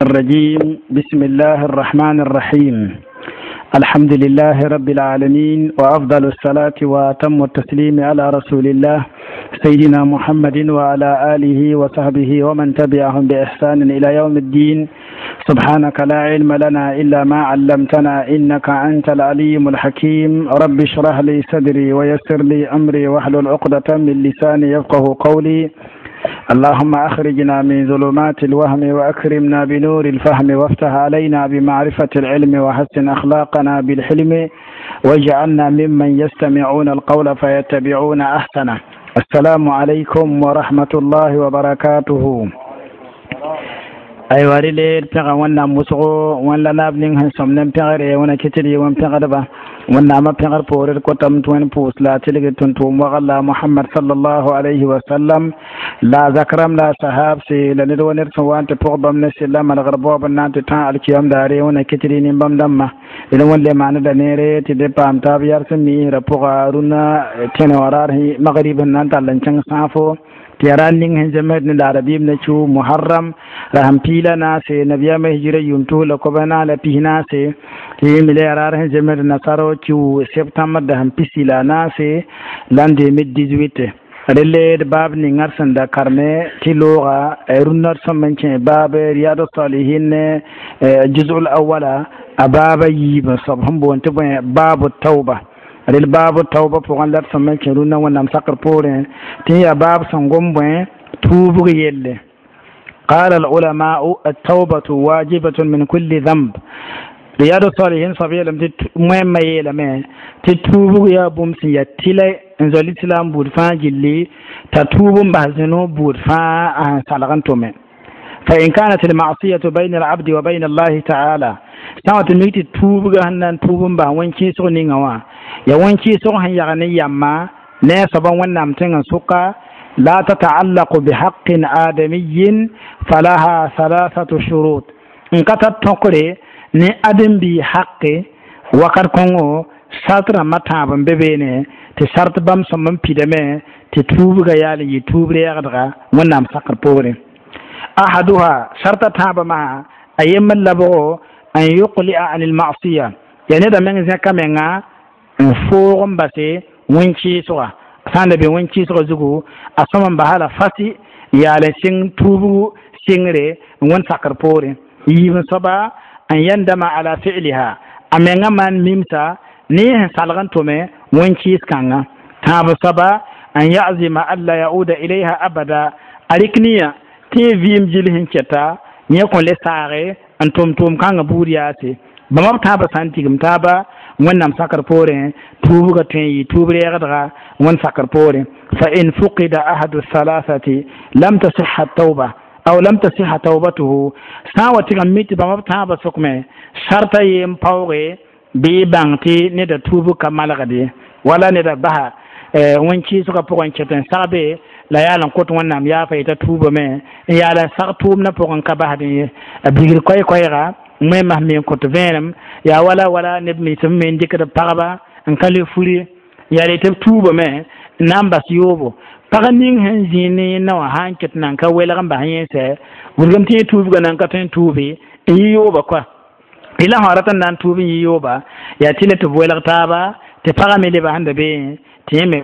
الرجيم. بسم الله الرحمن الرحيم. الحمد لله رب العالمين، وأفضل الصلاة وأتم التسليم على رسول الله سيدنا محمد وعلى آله وصحبه ومن تبعهم بإحسان إلى يوم الدين. سبحانك لا علم لنا إلا ما علمتنا إنك أنت العليم الحكيم. رب اشرح لي صدري ويسر لي أمري واحلل عقدة من لساني يفقه قولي. اللهم أخرجنا من ظلمات الوهم وأكرمنا بنور الفهم، وافتح علينا بمعرفة العلم، وحسن أخلاقنا بالحلم، واجعلنا ممن يستمعون القول فيتبعون أحسنه. السلام عليكم ورحمة الله وبركاته. Aywa, rɩle d pẽga Wẽnnaam wʋsgo, wẽn la naab ning sẽn sõm ne pẽgre, wẽna kɩtd yɩ wẽn pẽgdba. Wẽnnaamã pẽgr poore d kotame tɩ Wẽnd pʋʋs la a tɩlgd tʋm-tʋʋm wagl la Mohamad sallallahu alayhi wa sallam, la a zak rãmb, la a sahaabse, la ned wa ned sẽn wa n tɩ pʋg bãmb ne sɩlla malgr baoob n na n tɩ tã alkiyam daare. Wẽna kɩtd yɩ nin-bãmb dãmbã. D wẽn le maaneda neere tɩ d paam taab yar sẽn miisrã pʋga rũnnã tẽne wã raar magrib sẽn na n tall n kẽng sãafo tɩ yaa ra ning sẽn zemsd ne la rabiim na kiu Muharram ra sẽn piila naase, nabiyaamã hijira yʋʋm 2014, tɩ yẽmbe la yaa raar sẽn zemsd nasaro kiu septembr da sẽn 14 l'an 2018. Relle d baab ninga d sẽn da karme tɩ looga rũnnã d sõm n kẽ baab Riyad Salihin juzul awala, a baaba yiib n soab sẽn boond tɩ bõe, baabu tauba. Rel baabu tauba pʋgẽ la d sõm n kẽ rũnnã Wẽnnaam sakr poorẽ tɩ yaa baab sẽn gom bõe, tuubg yelle. قال العلماء: التوبة واجبة من كل ذنب. رياض الصالحين soab yeelame tɩ moẽmã yeelame tɩ tuubg yaa bũmb sẽn yaa tɩlɛ n zoa lislaam buud fãa gilli, t'a tuub n bas zĩno buud fãa a sẽn salg n tʋme. فإن كانت المعصية بين العبد وبين الله تعالى, sã wa tɩ mik tɩ tuubga sẽn na n tuub n bas wẽn-kɩɩsg ninga wã yaa wẽn-kɩɩsg sẽn yag ne yamma ne a soaba Wẽnnaam tẽngã sʋka, لا تتعلق بحق آدمي، فلها ثلاثة شروط. N ka tar tõkre ne ãdem-biig haqe wakat kõngo, sart rãmbã tãab n be beene tɩ sart bãmb sõm n pidame tɩ tuubga yaal n yɩ tuub reegdga Wẽnnaam sakr poorẽ. أحدها, sarta tãabã maa a yembr labgo, أن يقلع عن المعصية, yaa neda meng zẽka menga n foog n base wẽn-kɩɩsga. Sã n da be wẽn-kɩɩsga zugu, a sõm n basa la fasi n yaal n sɩng tuubgu sɩngre n wẽnd sakr poorẽ. Yiib n soaba, أن يندم على فعلها, a menga maan mimsa ne sẽn salg n tʋme wẽn-kɩɩs kãnga. Tãab soaba, أن يعزم ألا يعود إليها أبدا, a rɩk niyã tɩ yẽ vɩɩm gil sẽn kɛta yẽ kõn le saage n tʋm tʋʋm kãngã buud yaase. Bãmba b tãabã sã n tigim taaba Wẽnnaam sakr poorẽ, tuubga tõe n yɩ tuub reegdga Wẽnd sakr poorẽ. فإن فقد أحد الثلاثة لم تصح التوبة أو لم تصح توبته. Sã n wa tɩg n mi tɩ bãmba b tãabã sʋkme sarta yem paooge, bɩ bãng tɩ neda tuubg ka malgde wala neda basa wẽn-kɩɩsgã pʋgẽ n ket n sagbe la yaal n kõt Wẽnnaam yaafa yeta tuubame n yaal n sag tʋʋmdã pʋgẽ ka basd ye a bigr koɛɛ-koɛɛga wẽnnaam me n kõt vẽenem yaa wala wala neb mens b me n dɩkd pagba n ka le furi yaa tɩ b tuubame n na n bas yoobo. Pag ning sẽn zĩig ne yẽnna wã sã n ket nan ka welg n bas yẽnsɛ wilgem tɩ yẽ tuubga nan ka tõe n tuubi n yɩ yooba koa la sã rat n na n tuub n yɩ yooba yaa tɩ le tɩ b welg taaba tɩ pagã me lebã sẽn da beẽ tɩ yẽ me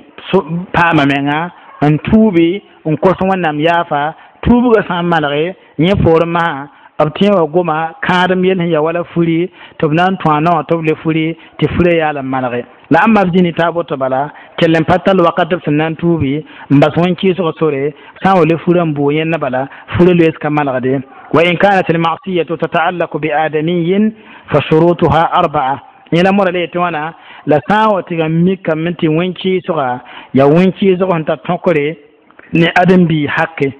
paama menga n tuubi n kos Wẽnnaam yaafa. Tuubgã sã n malge yẽ poorẽ masã b tẽ wa goma kãadem yell sẽn ya wala furi tɩ b na n tõa naowã tɩ b le furi tɩ furã yaal n malge la ãmba b zĩni taa boto bala kell n pa tall wakat b sẽn na n tuubi n bas wẽn-kɩɩsg sore. Sã n wa le furã n boo yẽnna bala furã loees ka malgde. وإن كانت المعصية تتعلق بآدمي فشروطها أربعة. Yẽla mora le tɩ wãna la sã n wa tɩ n mikame tɩ wẽn-kɩɩsga yaa wẽn-kɩɩsg sẽn tar tõkre ne ãdem-biig hake,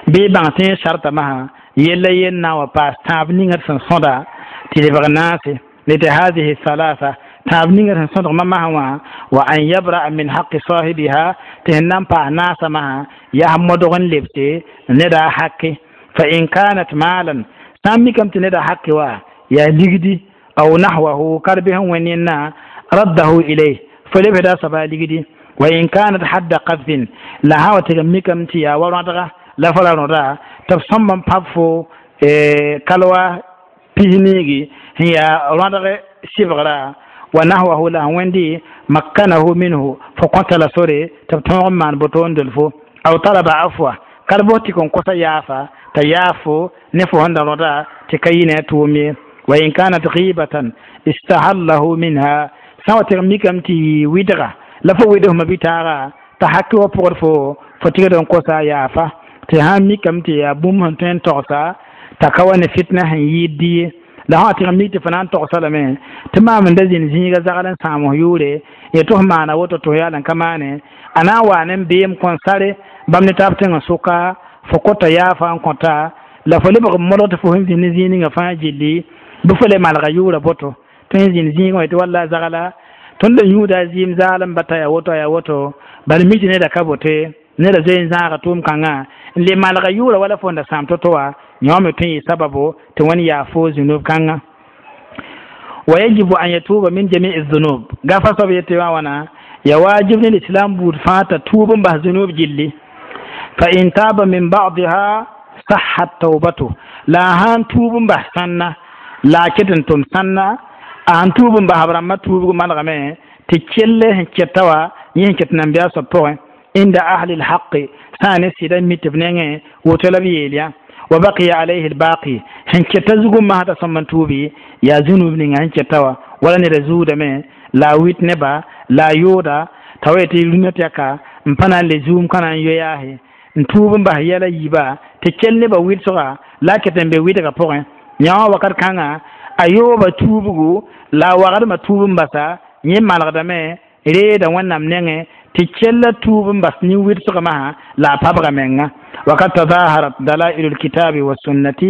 bɩ bãng tɩ yẽ sarta masã yella yen na n wa paas tãab ninga d sẽn sõda tɩ lebg naase lete هذه الثلاثة, tãab ninga sẽn sõdgmã masã wã, وأن يبرأ من حق صاحبها, tɩ sẽn na n paas naasã masã yaa modg n lebse neda hake. فإن كانت مالا, sã n mikame tɩ neda hake wa yaa ligdi أو نحوه karbe sẽn wẽnd yẽnna, رده إليه, fo lebsda soaba ligdi. وإن كانت حد قذف, la sã wa tɩg n mikame tɩ yaa wa rõadga la fo ra rõda tɩ b sõmb n pãb fo. Kalwa pisniigi sẽn yaa rõadg sɩbgra wa nahwahu la sẽn wẽndi makkanahu minhu fo kõta la sore tɩ b tõog n maan boto n dol fo aw talaba afwa kal bos tɩ kõn kosa yaafa t'a yaafo ne fo sẽn da rõda tɩ ka yɩ ne a tʋʋm ye wa in kanat ghibatan istahallahu minha sã wa tɩg mikame tɩ yɩ wɩdga la fo wɩd fma bɩ-taaga t'a haki wa pʋgd fo fo tɩgd n kosa yaafa tɩ sãn mikame tɩ yaa bũmb sẽn tõe n togsa t'a ka wa ne fitna sẽn yɩɩd dɩ ye la sã wa tɩg n mik tɩ fo na n togsa lame tɩ maam n da zĩnd zĩiga zagl n sãam f yʋʋre ye tɩ f maana woto tɩ f yaa n ka maane a na n waa ne beem kõn sare bãmb ne taab tẽngã sʋka fo kota yaafa n kõta la fo lebg n modg tɩ fo sẽn zĩnd ne zĩig ninga fãa gilli bɩ fo le malga yʋʋra boto tɩ sẽn zĩnd zĩigã wã tɩ walla zagla tõnd da yũuda a zɩɩm zaalem bata yaa woto yaa woto bala mi tɩ neda ka bote neda zoe n zãaga tʋʋm kãngã n le malga yʋʋra wala fo n da sãam to-to wã yõ me tõe n yɩ sababo tɩ wẽnd yaa fo zũnub kãngã wa yajibu an yatuba min jami'i dhunub gafa soab yetɩ wã wãna ya wajib ne l'islam buud fãa t'a tuub n bas zũnub gilli fa in taba min ba'diha sahhat taubatu la a sãn tuub n bas sãnna la a ket n tʋm sãnna a sãn tuub n bas b rãmbã tuubg malgame tɩ kell sẽn kɛta wã yẽ sẽn ket nambiya soab pʋgẽ inda ahli lhaqi sã ne sɩda mi tɩ b nengẽ woto la b yeel yã wa baqiya alayhi lbaqi sẽn kɛta zugum masã t'a sõm n tuubi yaa zũnub ninga sẽn kɛta wã wala neda zuudame la a wit neba la a yooda t'a wa yetɩ rũnã tɩ yaka n pa na n le zuum ka na n yo yaase n tuub n bas yɛla yiiba tɩ kell nebã wɩlsga la a ket n be wɩdgã pʋgẽ yã wã wakat kãngã a yooba tuubgu la a wagdmã tuub n basa yẽ malgdame reeda wẽnnaam nengẽ tɩ kella tuub n bas nin-wɩlsg masã la a pabga menga وقد تظاهرت دلائل الكتاب والسنة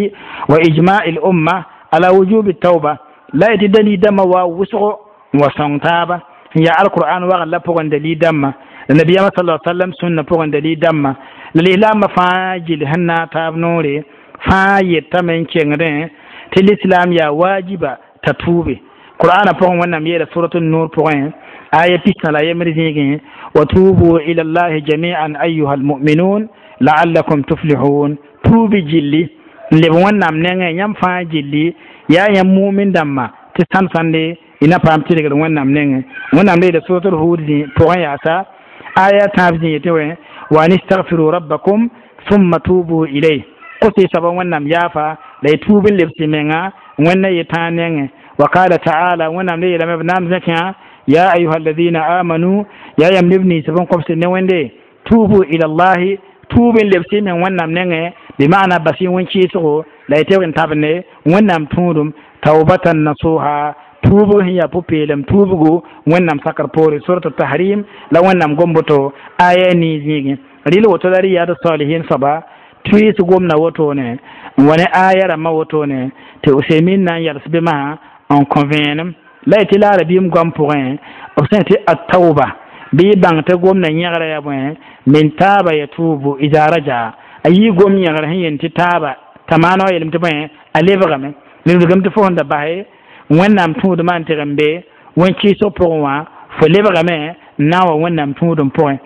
وإجماع الأمة على وجوب التوبة la yetɩ dalil dãmbã wa wʋsgo n wa sõng taaba n yaa alqur'an wagl la pʋgẽ dalil dãmbã la nabiyaamã sala sallam sũnna pʋgẽ dalil dãmbã la lislaambã fãa gill sẽn naag taab noore fãa yetame n kengdẽ tɩ lislam yaa wajiba t'a tuube qur'ana pʋgẽ wẽnnaam yeela surat nur pʋgẽ aya pistã la a yembr zĩigẽ wa tubu ila llahi jamian ayuha almuminun laallakum tuflihun tuubi gilli n leb wẽnnaam nengẽ yãmb fãa gilli yaa yãmb mumin dãmba tɩ sãnd sãnde y na paam tɩrgr wẽnnaam nengẽ wẽnnaam le yeela suratul hud pʋgẽ yaasa aya tãab zĩ yetɩ wẽ wa an istagfiru rabbakum thumma tubu ilayh kos y soaba wẽnnaam yaafa la y tuub n lebs y menga wẽnna yetãa nengẽ wa qala taala wẽnnaam le yeelame b naam zẽkẽa ya ayuha alladina amanu yaa yãmb neb ninsb n kobsd ne wẽnde tubu ila llahi tuub n lebs y meng wẽnnaam nengẽ bɩ maana bas y wẽn-kɩɩsgo la y tɩg n tabne wẽnnaam tũudum taubatan nasuha tuubg sẽn yaa pʋ-peelem tuubgo wẽnnaam sakr poore surat tahrim la wẽnnaam gom-boto aya nii zĩigẽ rɩl woto la riyad salihin soaba tuiis gomda wotone n wa ne aya rãmbã wotone tɩ usemin na n yals be masã n kõ vẽenem la y tɩ la arabiim goam pʋgẽ b sẽn tɩ attauba bɩ y bãng tɩ gomda yẽgra yaa bõe min taaba yatubu ida raja a yii gom yẽgr sẽn yel tɩ taaba t'a maana wa yeelame tɩ bõe a lebgame lebgame tɩ fo sẽn da base wẽnnaam tũudmã n tɩg n be wẽn-kɩɩsg pʋgẽ wã fo lebgame n na n wa wẽnnaam tũudum pʋgẽ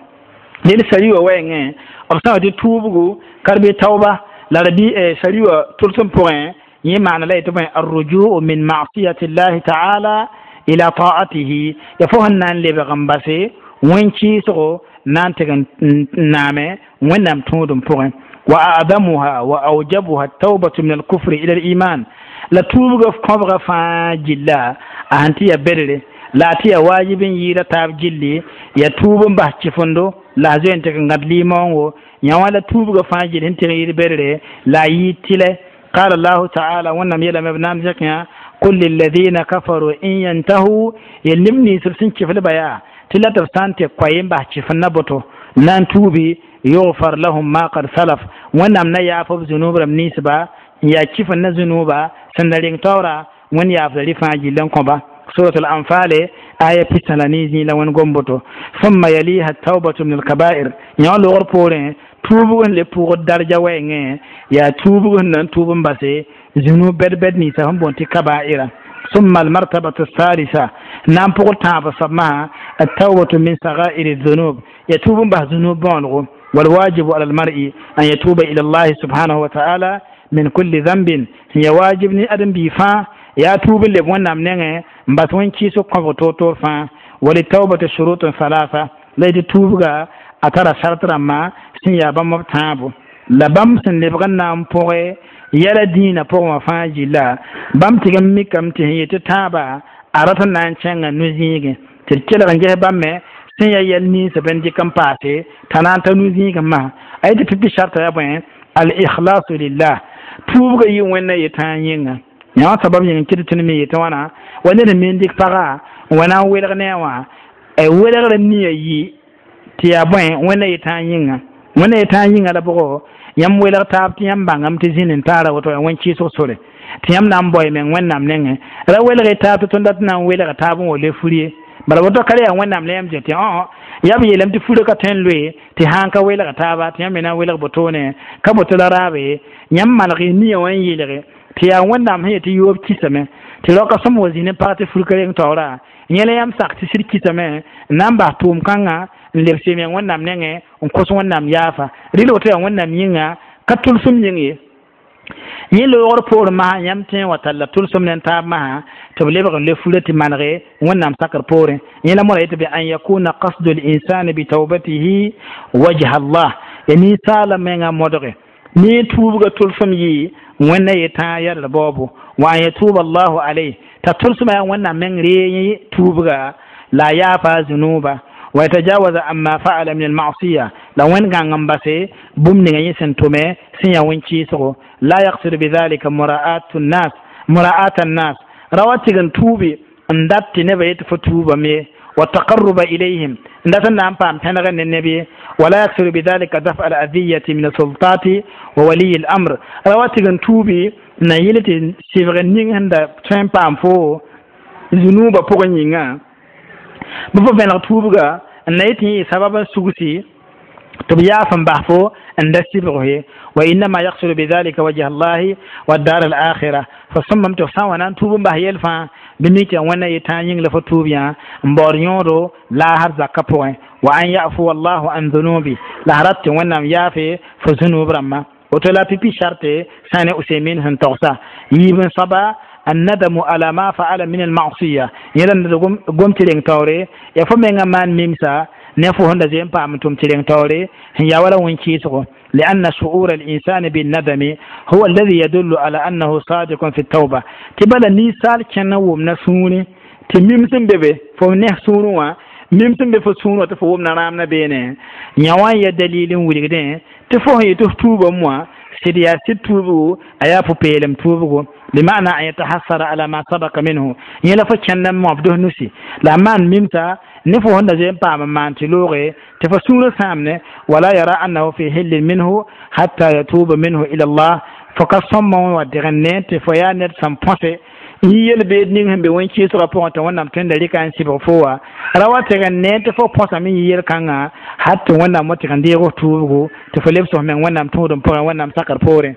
del sari wã wɛɛngẽ b sã wa tɩ tuubgu ka b tauba la rabi sari wã tʋlsem pʋgẽ yẽ maana la yetɩ bõe arrujuu min masiyati llahi taala ila taatihi ya fo sẽn na n lebg n base wẽn-kɩɩsgo na n tɩg n naame wẽnnaam tũudum pʋgẽ wa adamuha wa aujabuha taubatu min alkufri ila aliman la tuubga kõbga fãa gilla a sẽn tɩ ya bedre la a tɩ ya wajib n yɩɩda taab gilli ya tuub n bas kɩfendo la a zoe n tɩg n gãd limaoongo yã wã la tuubga fãa gill sẽn tɩg n yɩɩd bedre la a yɩɩd tɩlɛ قال الله تعالى wẽnnaam yeelame b naam zẽkẽ قل للذين كفروا إن ينتهوا yel neb nins b sẽn kɩflba yaa tɩ la tɩ b sã n tɩ koa n bas kɩfend boto na n tuubi يغفر لهم ما قد سلف wẽnnaam na yaaf b zũnub rãmb ninsba n yaa kɩfend na zũnuba sẽn da reng taoora wẽnd yaafda rɩ fãa gill n kõba سورة الأنفال آية pistã la ne zĩig la wẽnd gom boto ثم يليها التوبة من الكبائر yã logr poorẽ tuubg n le pʋgd darja wɛɛngẽ yaa tuubg sẽn na n tuub n base zũnub bɛd-bɛd ninsã sẽn boond tɩ kabaira ثم المرتبة الثالثة نام بقول تاب صبما التوبة من صغائر الذنوب يتوب به ذنوب بونغو والواجب على المرء أن يتوب إلى الله سبحانه وتعالى Min kulli dhanbin sẽn ya wajib ne ãdem-biig fãa yaa tuub n leb Wẽnnaam nengẽ n bas wẽn-kɩɩsg kõbg toor-toor fãa. Walitawbati shurutun thalatha, la yetɩ tuubga a tara sart rãmba sẽn yaa bãmb b tãabo la bãmb sẽn lebg n na n pʋgẽ yɛla dĩinã pʋgẽ wã fãa gilla bãmb tɩg n mikame tɩ sẽn yetɩ tãaba a rat n na n kẽngã no-zĩigẽ tɩ d kelg n ges bãmb me sẽn yaa yɛl ninsã bẽn dɩk n paase t'a na n ta no-zĩigẽ masã a yetɩ pipi sarta yaa bõe al ikhlasu lillah tuubga yɩ Wẽnna yetãa yĩnga yã wã sabab yĩng n kɩt tɩ me yetɩ wãna wa ned n me n dɩk paga n wa na n welg ne a wã welgrã nia yi tɩ yaa bõe Wẽnna yetãa yĩnga Wẽnna yetãa yĩnga la bʋgo yãmb welg taab tɩ yãmb bãngame tɩ zĩnd n taara woto yaa wẽn-kɩɩsg sore tɩ yãmb na n bao y meng Wẽnnaam nengẽ ra welg y taab tɩ tõnd dat n na n welga taab n wa le fur ye bala woto ka yaa Wẽnnaam la yãmb zẽ tɩ yaa b yeelame tɩ furã ka tõe n loe tɩ sãn ka welga taaba tɩ yãmb me na n welg botone ka boto la raabe yãmb maneg y nia wã n yeelge tɩ yaa Wẽnnaam sẽn yetɩ yoob kisame tɩ raoka sõm wa zĩ ne pag tɩ fur ka reng taoora yẽ la yãmb sak tɩ sɩd kisame n na n bas tʋʋm kãngã n lebs y meng Wẽnnaam nengẽ n kos Wẽnnaam yaafa rɩl woto yaa Wẽnnaam yĩnga ka tʋlsem yĩng ye yẽ loogr poor masã yãmb tõe n wa talla tʋlsem ne taab masã tɩ b lebg n le furã tɩ manege Wẽnnaam sakr poorẽ yẽ la moora yetɩ be an yakuna qasdu linsani bitawbatihi wajha Allah ya ninsaala menga modge ne tuubga tʋlsem yɩ Wẽnna yetãa yɛdr baoobo wa an yatuba Allahu alayh t'a tʋlsmã yaa Wẽnnaam meng ree tuubga la yaafa zunuba wa yatajawaza amma fa'ala min almasiya la wẽnd gãng n base bũmb ninga yẽ sẽn tʋme sẽn yaa wẽn-kɩɩsgo la yaqsidu bidhalika mura'atu nnas mura'at annas ra wa tɩg n tuubi n dat tɩ nebã yetɩ fo tuubame wa taqarruba ilayhim n dat n na n paam pẽneg ne neb ye wala yaksiru bidhalika daf al adiyati min asultati wa waliyi l amr ra wa tɩg n tuubi n na yɩl tɩ sɩbg ning sẽn da tõe n paam fo zunuubã pʋgẽ yĩnga bɩ fo vẽneg tuubga n na yetɩ yẽ sabab n sugsi tɩ b yaaf n bas fo n da sɩbg ye wa innama yaksuru bidhalika wajha Allahi wa dar al akhira fo sõmbame tɩ f sã n wa na n tuub n bas yɛl fãa bɩ mik tɩ Wẽnna yetãa yĩng la fo tuub yã n baood yõodo laasr zakã pʋgẽ wa an yafuwa Allahu an dhunubi la a rat tɩ Wẽnnaam yaafe fo zunub rãmbã woto la pipi sarte sã ne Usemin sẽn togsa yiib n soaba الندم على ما فعل من المعصية yẽla gom tɩ reng taoore ya fo menga maan mimsa ne fo sẽn da zoe n paam tʋm tɩ reng taoore sẽn yaa wala wẽn-kɩɩsgo لأن شعور الإنسان بالندم هو الذي يدل على أنه صادق في التوبة tɩ bala ninsaal kẽna wʋmna sũurẽ tɩ mim sẽn be be fo ne sũurẽ wã mim sẽn be fo sũurẽ wã tɩ fo wʋmna rãam na beene yã wã n ya dalil n wilgdẽ tɩ fo sẽn yetɩ f tuubame wã sɩd yaa sɩd tuubgo a yaa pʋ-peelem tuubgo بمعنى أن يتحسر على ما سبق منه yẽ la fo kẽnd n moab dos nusi la a maan mimsa ne fo sẽn da zoe n paam n maan tɩ looge tɩ fo sũurã sãamne wala yara annahu fi hillin minhu hatta yatuba minhu ila Allah fo ka sõmba wã wa deg n ne tɩ fo yaa ned sẽn põse n yi yel-beed ning sẽn be wẽn-kɩɩsgã pʋgẽ tɩ Wẽnnaam tõe n da rɩka n sɩbg fo wã ra wa tɩg n ne tɩ fo põsame yɩ yel-kãngã hat tɩ Wẽnnaam wa tɩg n deeg f tuubgo tɩ fo lebs f meng Wẽnnaam tũudem pʋgẽ Wẽnnaam sakr poorẽ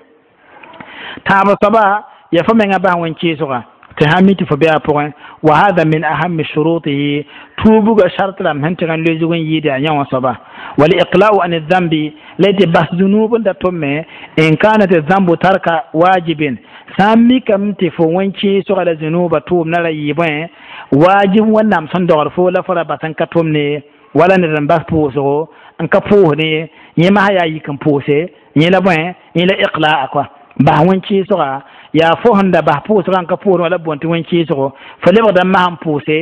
tãab soaba ya fo menga bas wẽn-kɩɩsgã tɩ sã mi tɩ fo be a pʋgẽ wa hada min ahami shurutihi tuubgã sart rãmb sẽn tɩg n loe zug n yɩɩda a yã wã soaba wal iqla'u an dhambi la tɩ bas zunub n da tʋmme in kanat dhambu tarka wajibin sã n mikame tɩ fo wẽn-kɩɩsgã la zunubã tʋʋmdã ra yɩ bõe wajib Wẽnnaam sẽn dogd fo la fo ra bas n ka tʋmne ye wala ned n bas pʋʋsgo n ka pʋʋsdẽ ye yẽ masã yaa yik n pʋʋse yẽ la bõe yẽ la iqla'a kɔa bas wẽn-kɩɩsga yaa fo sẽn da bas pʋʋsgã n ka pʋʋsdẽ wala boond tɩ wẽn-kɩɩsgo fo lebgda masã n pʋʋse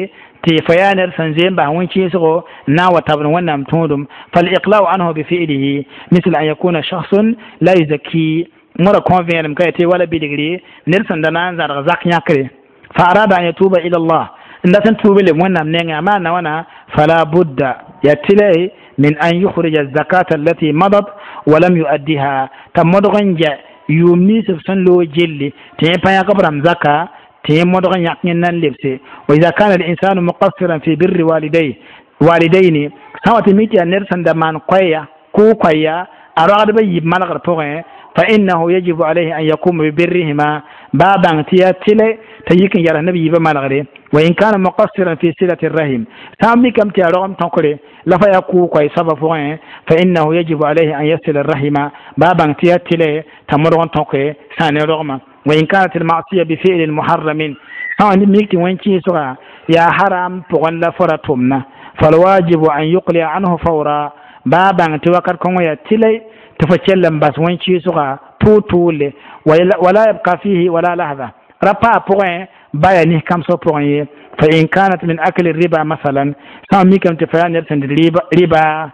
tɩ fo yaa ned sẽn zoe n bas wẽn-kɩɩsgo n na n wa tabd Wẽnnaam tũudum fal-iqla'u anhu bifi'lihi misl an yakuna shakhsun la yuzakki mõra kõ vẽenem ka tɩ wala bilgre ned sẽn da na n zãrg zak yãkre fa arada an yatuba ila Allah n dat n tuub leb Wẽnnaam nengẽ a maana wãna fala budda ya tɩla min an yukhrija zakata allati madat wa lam yuaddiha t'a modg n gɛ yʋʋm nins b sẽn loog gilli tɩ yẽ pa yãk b rãmb zaka tɩ yẽ modg n yãk yẽ nan lebse wa ida kana linsanu muqassiran fi birri walidayh walidayni sã wa tɩ mi tɩ yaa ned sẽn da maan koɛɛya kʋʋ koɛɛya a roagdbã yiib manegr pʋgẽ fa innahu yajibu alayhi an yakuma bibirrihima baa bãng tɩ yaa tɩlɛ t'a yik n yals neb yiibã manegre. Wa in kana muqassiran fi silati rahim, sã n mikame tɩ yaa rogem tõkre la fa yaa kʋʋg koɛɛ soabã pʋgẽ, fa innahu yajibu alayhi an yasila rahima, baa bãng tɩ yaa tɩlɛ t'a modg n tõke sã ne rogmã. Wa in kanat almasiya bifi'lin muharramin, sã n mik tɩ wẽn-kɩɩsga yaa haram pʋgẽ la fo ra tʋmna, falwajibu an yuqlia anhu fawra, baa bãng tɩ wakat kõngõ yaa tɩlɛ tɩ fo kell n bas wẽn-kɩɩsga tʋʋl-tʋʋle, wala yabka fihi wala lahza, ra paa pʋgẽ ba yaa nis-kãmsg pʋgẽ ye. Fa in kanat min akli riba masalan, sã n mikame tɩ fa yaa ned sẽn dɩt riba,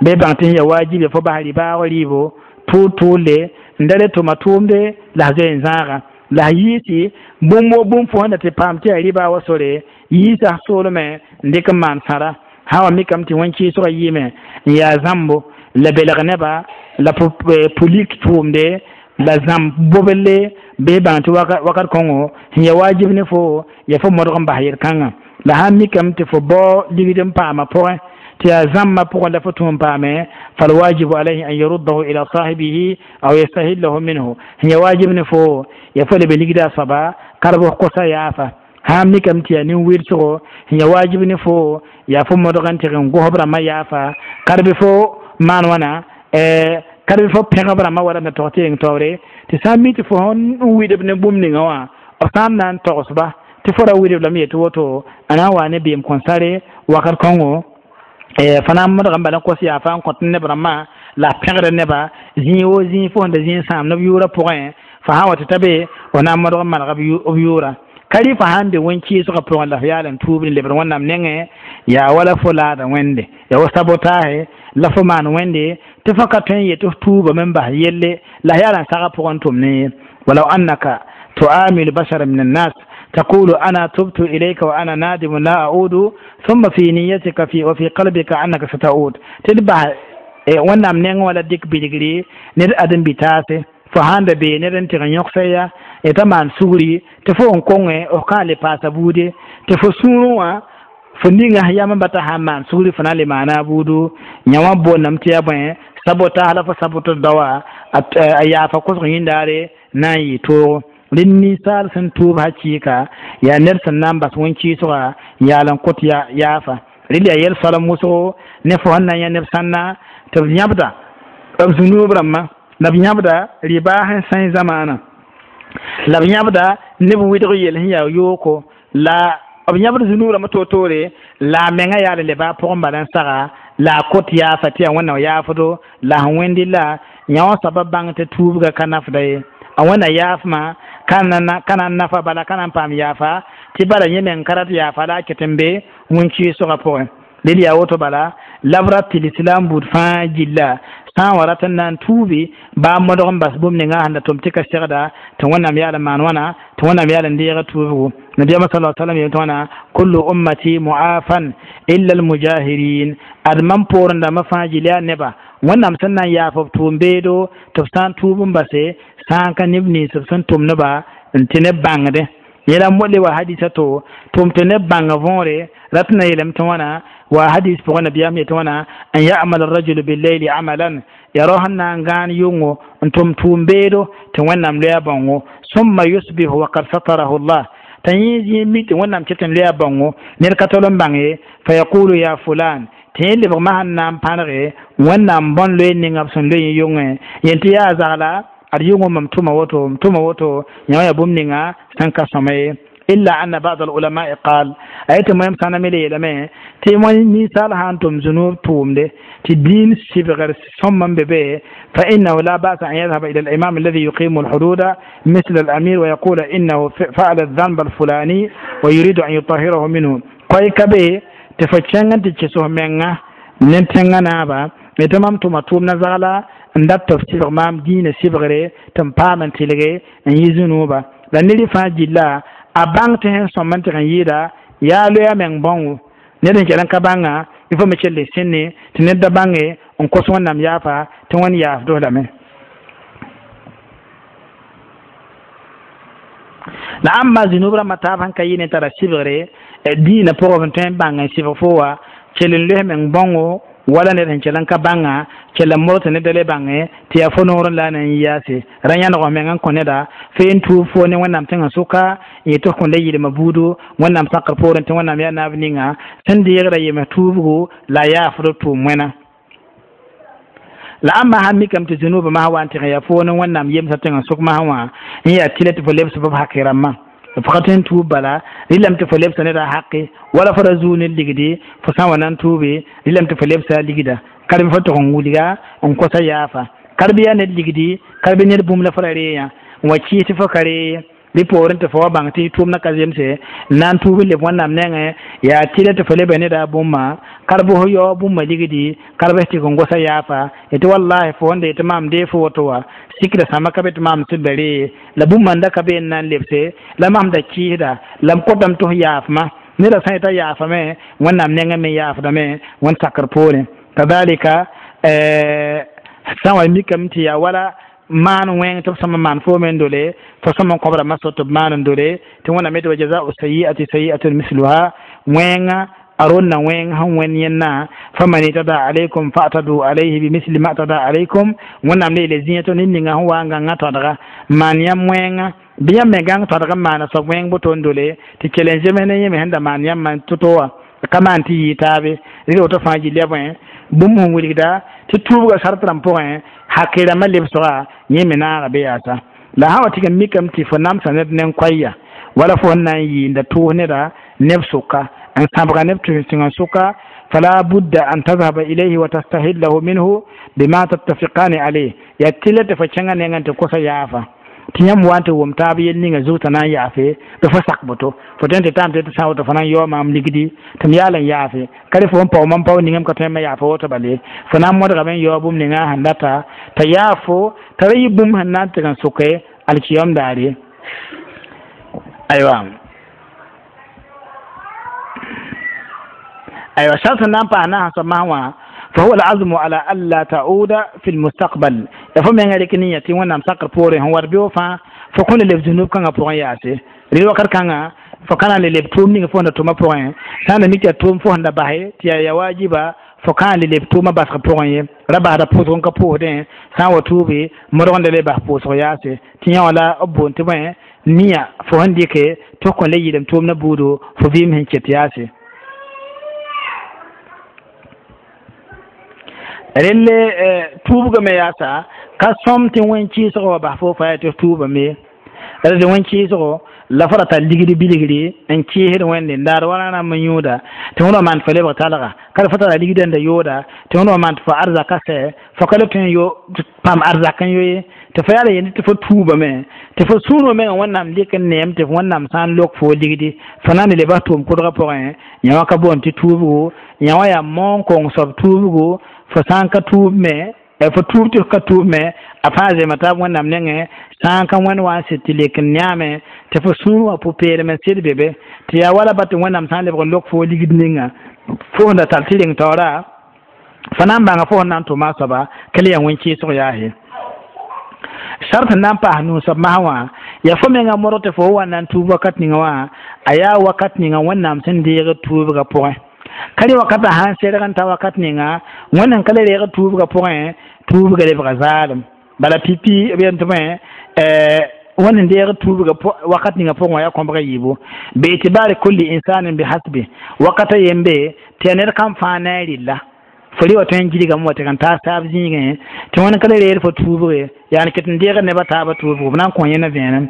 bɩ bãng tɩ sẽn yaa wajib ya fo bas ribaag rɩɩbo tʋʋl-tʋʋle n da le tʋma tʋʋmde la a zoe n zãaga la a yiisi bũmb wo bũmb fo sẽn da tɩ paam tɩ yaa riba wa sore yiisa soolmẽ n dɩk n maan sãra sã wa mikame tɩ wẽn-kɩɩsgã yɩɩme n yaa zãmbo la belg nebã la pulik tʋʋmde la zãmb bobelle, bɩ bãng tɩ wakat kõngo sẽn yaa wajib ne fo ya fo modg n bas yel-kãngã. La sã n mikame tɩ fo bao ligd n paama pʋgẽ tɩ yaa zãmbã pʋgẽ la fo tũ n paame, falwajibu alayhi an yaruddahu ila sahibihi aw yastahillahu minhu, sẽn yaa wajib ne fo ya fo lebe ligda a soaba karb f kosa yaafa. Sã n mikame tɩ yaa nin-wɩlsgo, sẽn yaa wajib ne fo yaa fo modg n tɩg n gosb rãmbã yaafa karb fo maan wãna karb fo pẽgb rãmbã wala n da tog tɩ yeng taoore tɩ sã n mi tɩ fo sẽn widb ne bũmb ninga wã b sã n na n togsba tɩ fo ra widb lame yetɩ woto a na n waa ne beem kõn-sare wakat kõngo fa na n modg n bala n kos yaafa n kõt neb rãmbã la a pẽgd neba zĩig wo zĩig fo sẽn da zĩig sãam neb yʋʋrã pʋgẽ fa sã n wa tɩ ta be f na n modg n maneg b yʋʋra ka rɩ fa sãn be wẽn-kɩɩsgã pʋgẽ la f yaal n tuub n lebd wẽnnaam nengẽ yaa wala fo laada wẽnde ya wa sabotaahe la fo maan wẽnde tɩ fo ka tõe n yetɩ f tuubame n bas yelle la yaal n sagã pʋgẽ tʋm ne ye. Walaw annaka tuamilu bashara min annas taqulu ana tubtu ilayka wa ana nadimu la audu, thumma fi niyatika fi wa fi qalbika annaka sataud, tɩ d bas wẽnnaam nengẽ wala dɩk bilgri ned ãdem-bitaase fo sãn da bee ned n tɩg n yõgsa ya t'a maan sugri tɩ fo n konge f kã le paasa buude tɩ fo sũurẽ wã fo ninga yam n bata sã n maan sugri fo na n le maana a buudu yã wã boondame tɩ yaa bõe sabotaas la fo sabotd daoã a yaafa kosg yĩndaare na n yɩ toogo. Rẽnd ninsaal sẽn tʋʋb hakɩɩka yaa ned sẽn na n bas wẽn-kɩɩsga n yaal n kõt yaafa rel yaa yɛl soalem wʋsgo ne fo sẽn na n yã neb sãnna tɩ b yãbda b zũnuub rãmbã la b yãbda rɩbaa sẽn sã zamaanã la b yãbda neb wɩdg yel sẽn yaa yooko la b yãbd zũnuub rãmbã toor-toore la a menga yaal n leba a pʋgẽ bala n saga la a kot yaafa tɩ yaa wẽnnaam yaafdo la sẽn wẽndi la yã wã soaba bãng tɩ tuubga ka nafda ye a wẽnna yaafmã ka na n nafa bala ka na n paam yaafa tɩ bala yẽ meng ka rat yaafa la a ket n be wẽn-kɩɩsgã pʋgẽ. Rel yaa woto bala la b rat tɩ lislaam buud fãa gilla sã n wa rat n na n tuubi baa modg n bas bũmb ninga sẽn da tʋm tɩ ka segda tɩ wẽnnaam yaal n maan wãna tɩ wẽnnaam yaal n deega tuubgo. Nabiyaamã sala salam yel tɩ wãna kullu ummati muafan illa almujahirin, ad mam poorẽ dãmbã fãa gill yaa neba wẽnnaam sẽn na n yaaf b tʋʋm-beedo tɩ b sã n tuub n base sã n ka neb nins b sẽn tʋm nebã n tɩ neb bãngdẽ yẽla modle wa hadisa to tʋm tɩ neb bãnga võore rat na yeelame tɩ wãna wa hadis pʋgẽ nabiyaam yetɩ wãna an yamal arrajulu billayli amalan ya rao sẽn na n gãan yʋngo n tʋm tʋʋm-beedo tɩ wẽnnaam loya bãongo summa yusbihu wa kad satarahu llah t'a yẽ zĩig mi tɩ wẽnnaam ket n loya bãongo ned ka tol n bãng ye fa yaqulu ya fulan tɩ yẽ lebgmã sẽn na n pãnege wẽnnaam bõn loe ninga b sẽn loe yẽ yʋngẽ yen tɩ yaa zagla ad yʋngo mam tʋma woto m tʋma woto yã wã yaa bũmb ninga sẽn ka sõma ye. Illa anna ba'd alulama'i qal a yetɩ moẽm sãname le yeelame tɩ ninsaal sã n tʋm zũnuub tʋʋmde tɩ dĩin sɩbgr sõm n be be fa innahu la ba'sa an yadhhaba ila al-imam alladhi yuqimu al-hududa misl al-amir wa yaqula innahu fa'ala adh-dhanba al-fulani wa yuridu an yutahhirahu minhu koy ka be tɩ fo kẽng n tɩ kɩs f menga ne tẽngã naaba tɩ mam tʋma tʋʋmdã zagla n dat tɩ f sɩbg maam dĩinã sɩbgre tɩ n paam n tɩlge n yɩ zũnuuba la ned fãa gilla a bãng tɩ sẽn sõm n tɩg n yɩɩda yaa loya meng bãongo ned n kell n ka bãnga il faut me kell n sẽnne tɩ ned da bãnge n kos wẽnnaam yaafa tɩ wẽnd yaafd lame. La ãmba zũnub rãmbã taab sẽn ka yɩ ne tara sɩbgre dĩinã pʋgẽ b tõe n bãng n sɩbg fo wa kell n loes meng bãongo wala ned sẽn kell n ka bãnga Kell n modg tɩ ned da le bãnge tɩ yaa fo noorẽ la a na n yaase ra yãneg f meng n kõ neda feen tuub fo ne Wẽnnaam tẽngã sʋka n yetɩ f kõn le yɩlma buudu Wẽnnaam sakr poorẽ tɩ Wẽnnaam yaa naab ninga sẽn deegda yems tuubgo la a yaafd b tʋʋm wẽna la ãmba sãn mikame tɩ zũnubã masã wa n tɩg n yaa fo ne Wẽnnaam yemsã tẽngã sʋk masã wã n yaa tɩlɛ tɩ fo lebs b hake rãmbã f ka tõe n tuub bala rɩlame tɩ fo lebsa neda hake wala fo ra zuu ne ligdi fo sã n wa na n tuube rɩlame tɩ fo lebsa a ligda karb fo tʋg n wilga n kosa yaafa karb yaa ned ligdi karb ned bũmb la fo ra reeyã n wa kɩɩs tɩ fo ka ree rɩ poorẽ tɩ fo wa bãng tɩ tʋʋmdã ka zemse n na n tuub n leb Wẽnnaam nengẽ yaa tɩlɛ tɩ fo leba neda bũmba karb fo yao bũmba ligdi karb f tɩg n gosa yaafa tɩ wallahi fo wẽnda yetɩ maam dee fo woto wa sikda sãmba ka be tɩ maam sẽn da ree la bũmba n da ka be n na n lebse la mam da kɩɩsda la m kotame tɩ f yaafma neda sã yeta yaafame Wẽnnaam nengẽ me yaafdame Wẽnd sakr poorẽ kadalika sã n wa mikame tɩ yaa wala maan wẽng tɩ b sõma maan foome n dole fo sõma n kõb rãmbã sot tɩ b maan n dole tɩ Wẽnnaam yetɩ wa jazau sayiati sayiatun misluha wẽnga a ronna wẽng sẽn wẽnd yẽnna faman itada alaykum fa'tadu alayhi bimisli ma tada alaykum Wẽnnaam le yeele zĩiga tɩ ned ninga sẽn wa n gãngã tõdga maan yãmb wẽnga bɩ yãmb me gãng tõdg n maana soab wẽng boto n dole tɩ kell n zems ne yẽ me sẽn da maan yãmb to-to wã ka maan tɩ yɩɩ taabe rɩ woto fãa gilya bõe bũmb sẽn wilgda tɩ tuubga sart rãmb pʋgẽ hake rãmbã lebsga yẽ me naaga be yaasa la sã wa tɩg n mikame tɩ fo namsa ned nen-koɛɛya wala fo sẽn na n yɩɩnda tʋʋs neda neb sʋka n sãbga neb tẽngã sʋka fala budda an tadhaba ilayhi wa tastahillahu minhu bima tattafiqani alayh yaa tɩlɛ tɩ fo kẽngã nengẽ tɩ kosa yaafa tɩ yãmb wa n tɩ wʋm taab yell ninga zug t'a na n yaafe bɩ fo sak boto fo tõe n tɩ taam tɩ sã woto fo na n yao maam ligdi tɩ m yaal n yaafe ka rẽ fo n pao mam pao ningame ka tõe n me yaafa woto bale fo na n modgame n yao bũmb ninga sẽn data t'a yaafo t'a ra yɩ bũmb sẽn na n tɩg n sʋke alkiyom daare aywa aywa sart sẽn na n paas naasã soab masã wã فهو العزم على ألا تعود في المستقبل يفهم يعني لكن يتي وانا مسكر بوري هو ربيو فا فكون اللي بذنوب كان بوري ياسي ريو كر كان فكان اللي بتوم نيغ فوندا توما بوري سانا ميكي توم فوندا باهي تيا يا واجبا فكان اللي بتوما بس بوري ربا هذا بوزون كبوه سان وتوبي مرون اللي بح بوزون ياسي تيا ولا أبون تبين نيا فهنديك توكن لي يدم توم نبودو فبيم هنكت ياسي relle tuubgame yaasa ka sõm tɩ wẽn kɩɩsgã wa bas fo fa yaa tɩ f tuubame la tɩ wẽn kɩɩsgo la fo ra tar ligd bilgri n kɩɩsd wẽnde n daar wala rãmb n yũuda tɩ wẽnd wa maan tɩ fo lebg talga ka fo tara ligdã n da yooda tɩ wẽnd wa maan tɩ fo arzaka sɛ fo ka le tõe n yo pãmb arzak n yo ye tɩ fo yaa la yende tɩ fo tuubame tɩ fo sũurã mengã Wẽnnaam lɩk n neem tɩ Wẽnnaam sã n lok fo ligdi fo na n le bas tʋʋm kʋdgã pʋgẽ yã wã ka boond tɩ tuubgo yã wã yaa moon kong soab tuubgo fo sã n ka tuub me fo tuub tɩ f ka tuub me a fãa zema taab Wẽnnaam nengẽ sã n ka wẽnd wa n sɩd tɩ lek n yãame tɩ fo sũur wã pʋ-peelem n sɩd be be tɩ yaa wala ba tɩ Wẽnnaam sã n lebg n lok fo ligd ninga fo sẽn da tar tɩ reng taoora fo na n bãnga fo sẽn na n tʋma a soaba ka le yaa wẽn-kɩɩsg yaase sart sẽn na n paas nuu soab masã wã yaa fo menga modg tɩ fo wa na n tuub wakat ninga wã a yaa wakat ninga Wẽnnaam sẽn deeg tuubgã pʋgẽ ka rẽ wakatã sã n serg n ta wakat ninga Wẽnd sẽn ka le reeg tuubgã pʋgẽ tuubga lebga zaalem bala pipi b yen tɩ bõe wẽnd sẽn deeg tuubga wakat ninga pʋgẽ wã yaa kõbga yiibu bi'tibari kulli insanin bihasbi wakata yembe tɩ yaa ned kam fãa na a rɩlla fo rɩ wa tõe n gilgame wa tɩ n taas taab zĩigẽ tɩ wẽnd ka le reer fo tuubge yaa n ket n deegd nebã taabã tuubgo b na n kõ yẽna vẽenem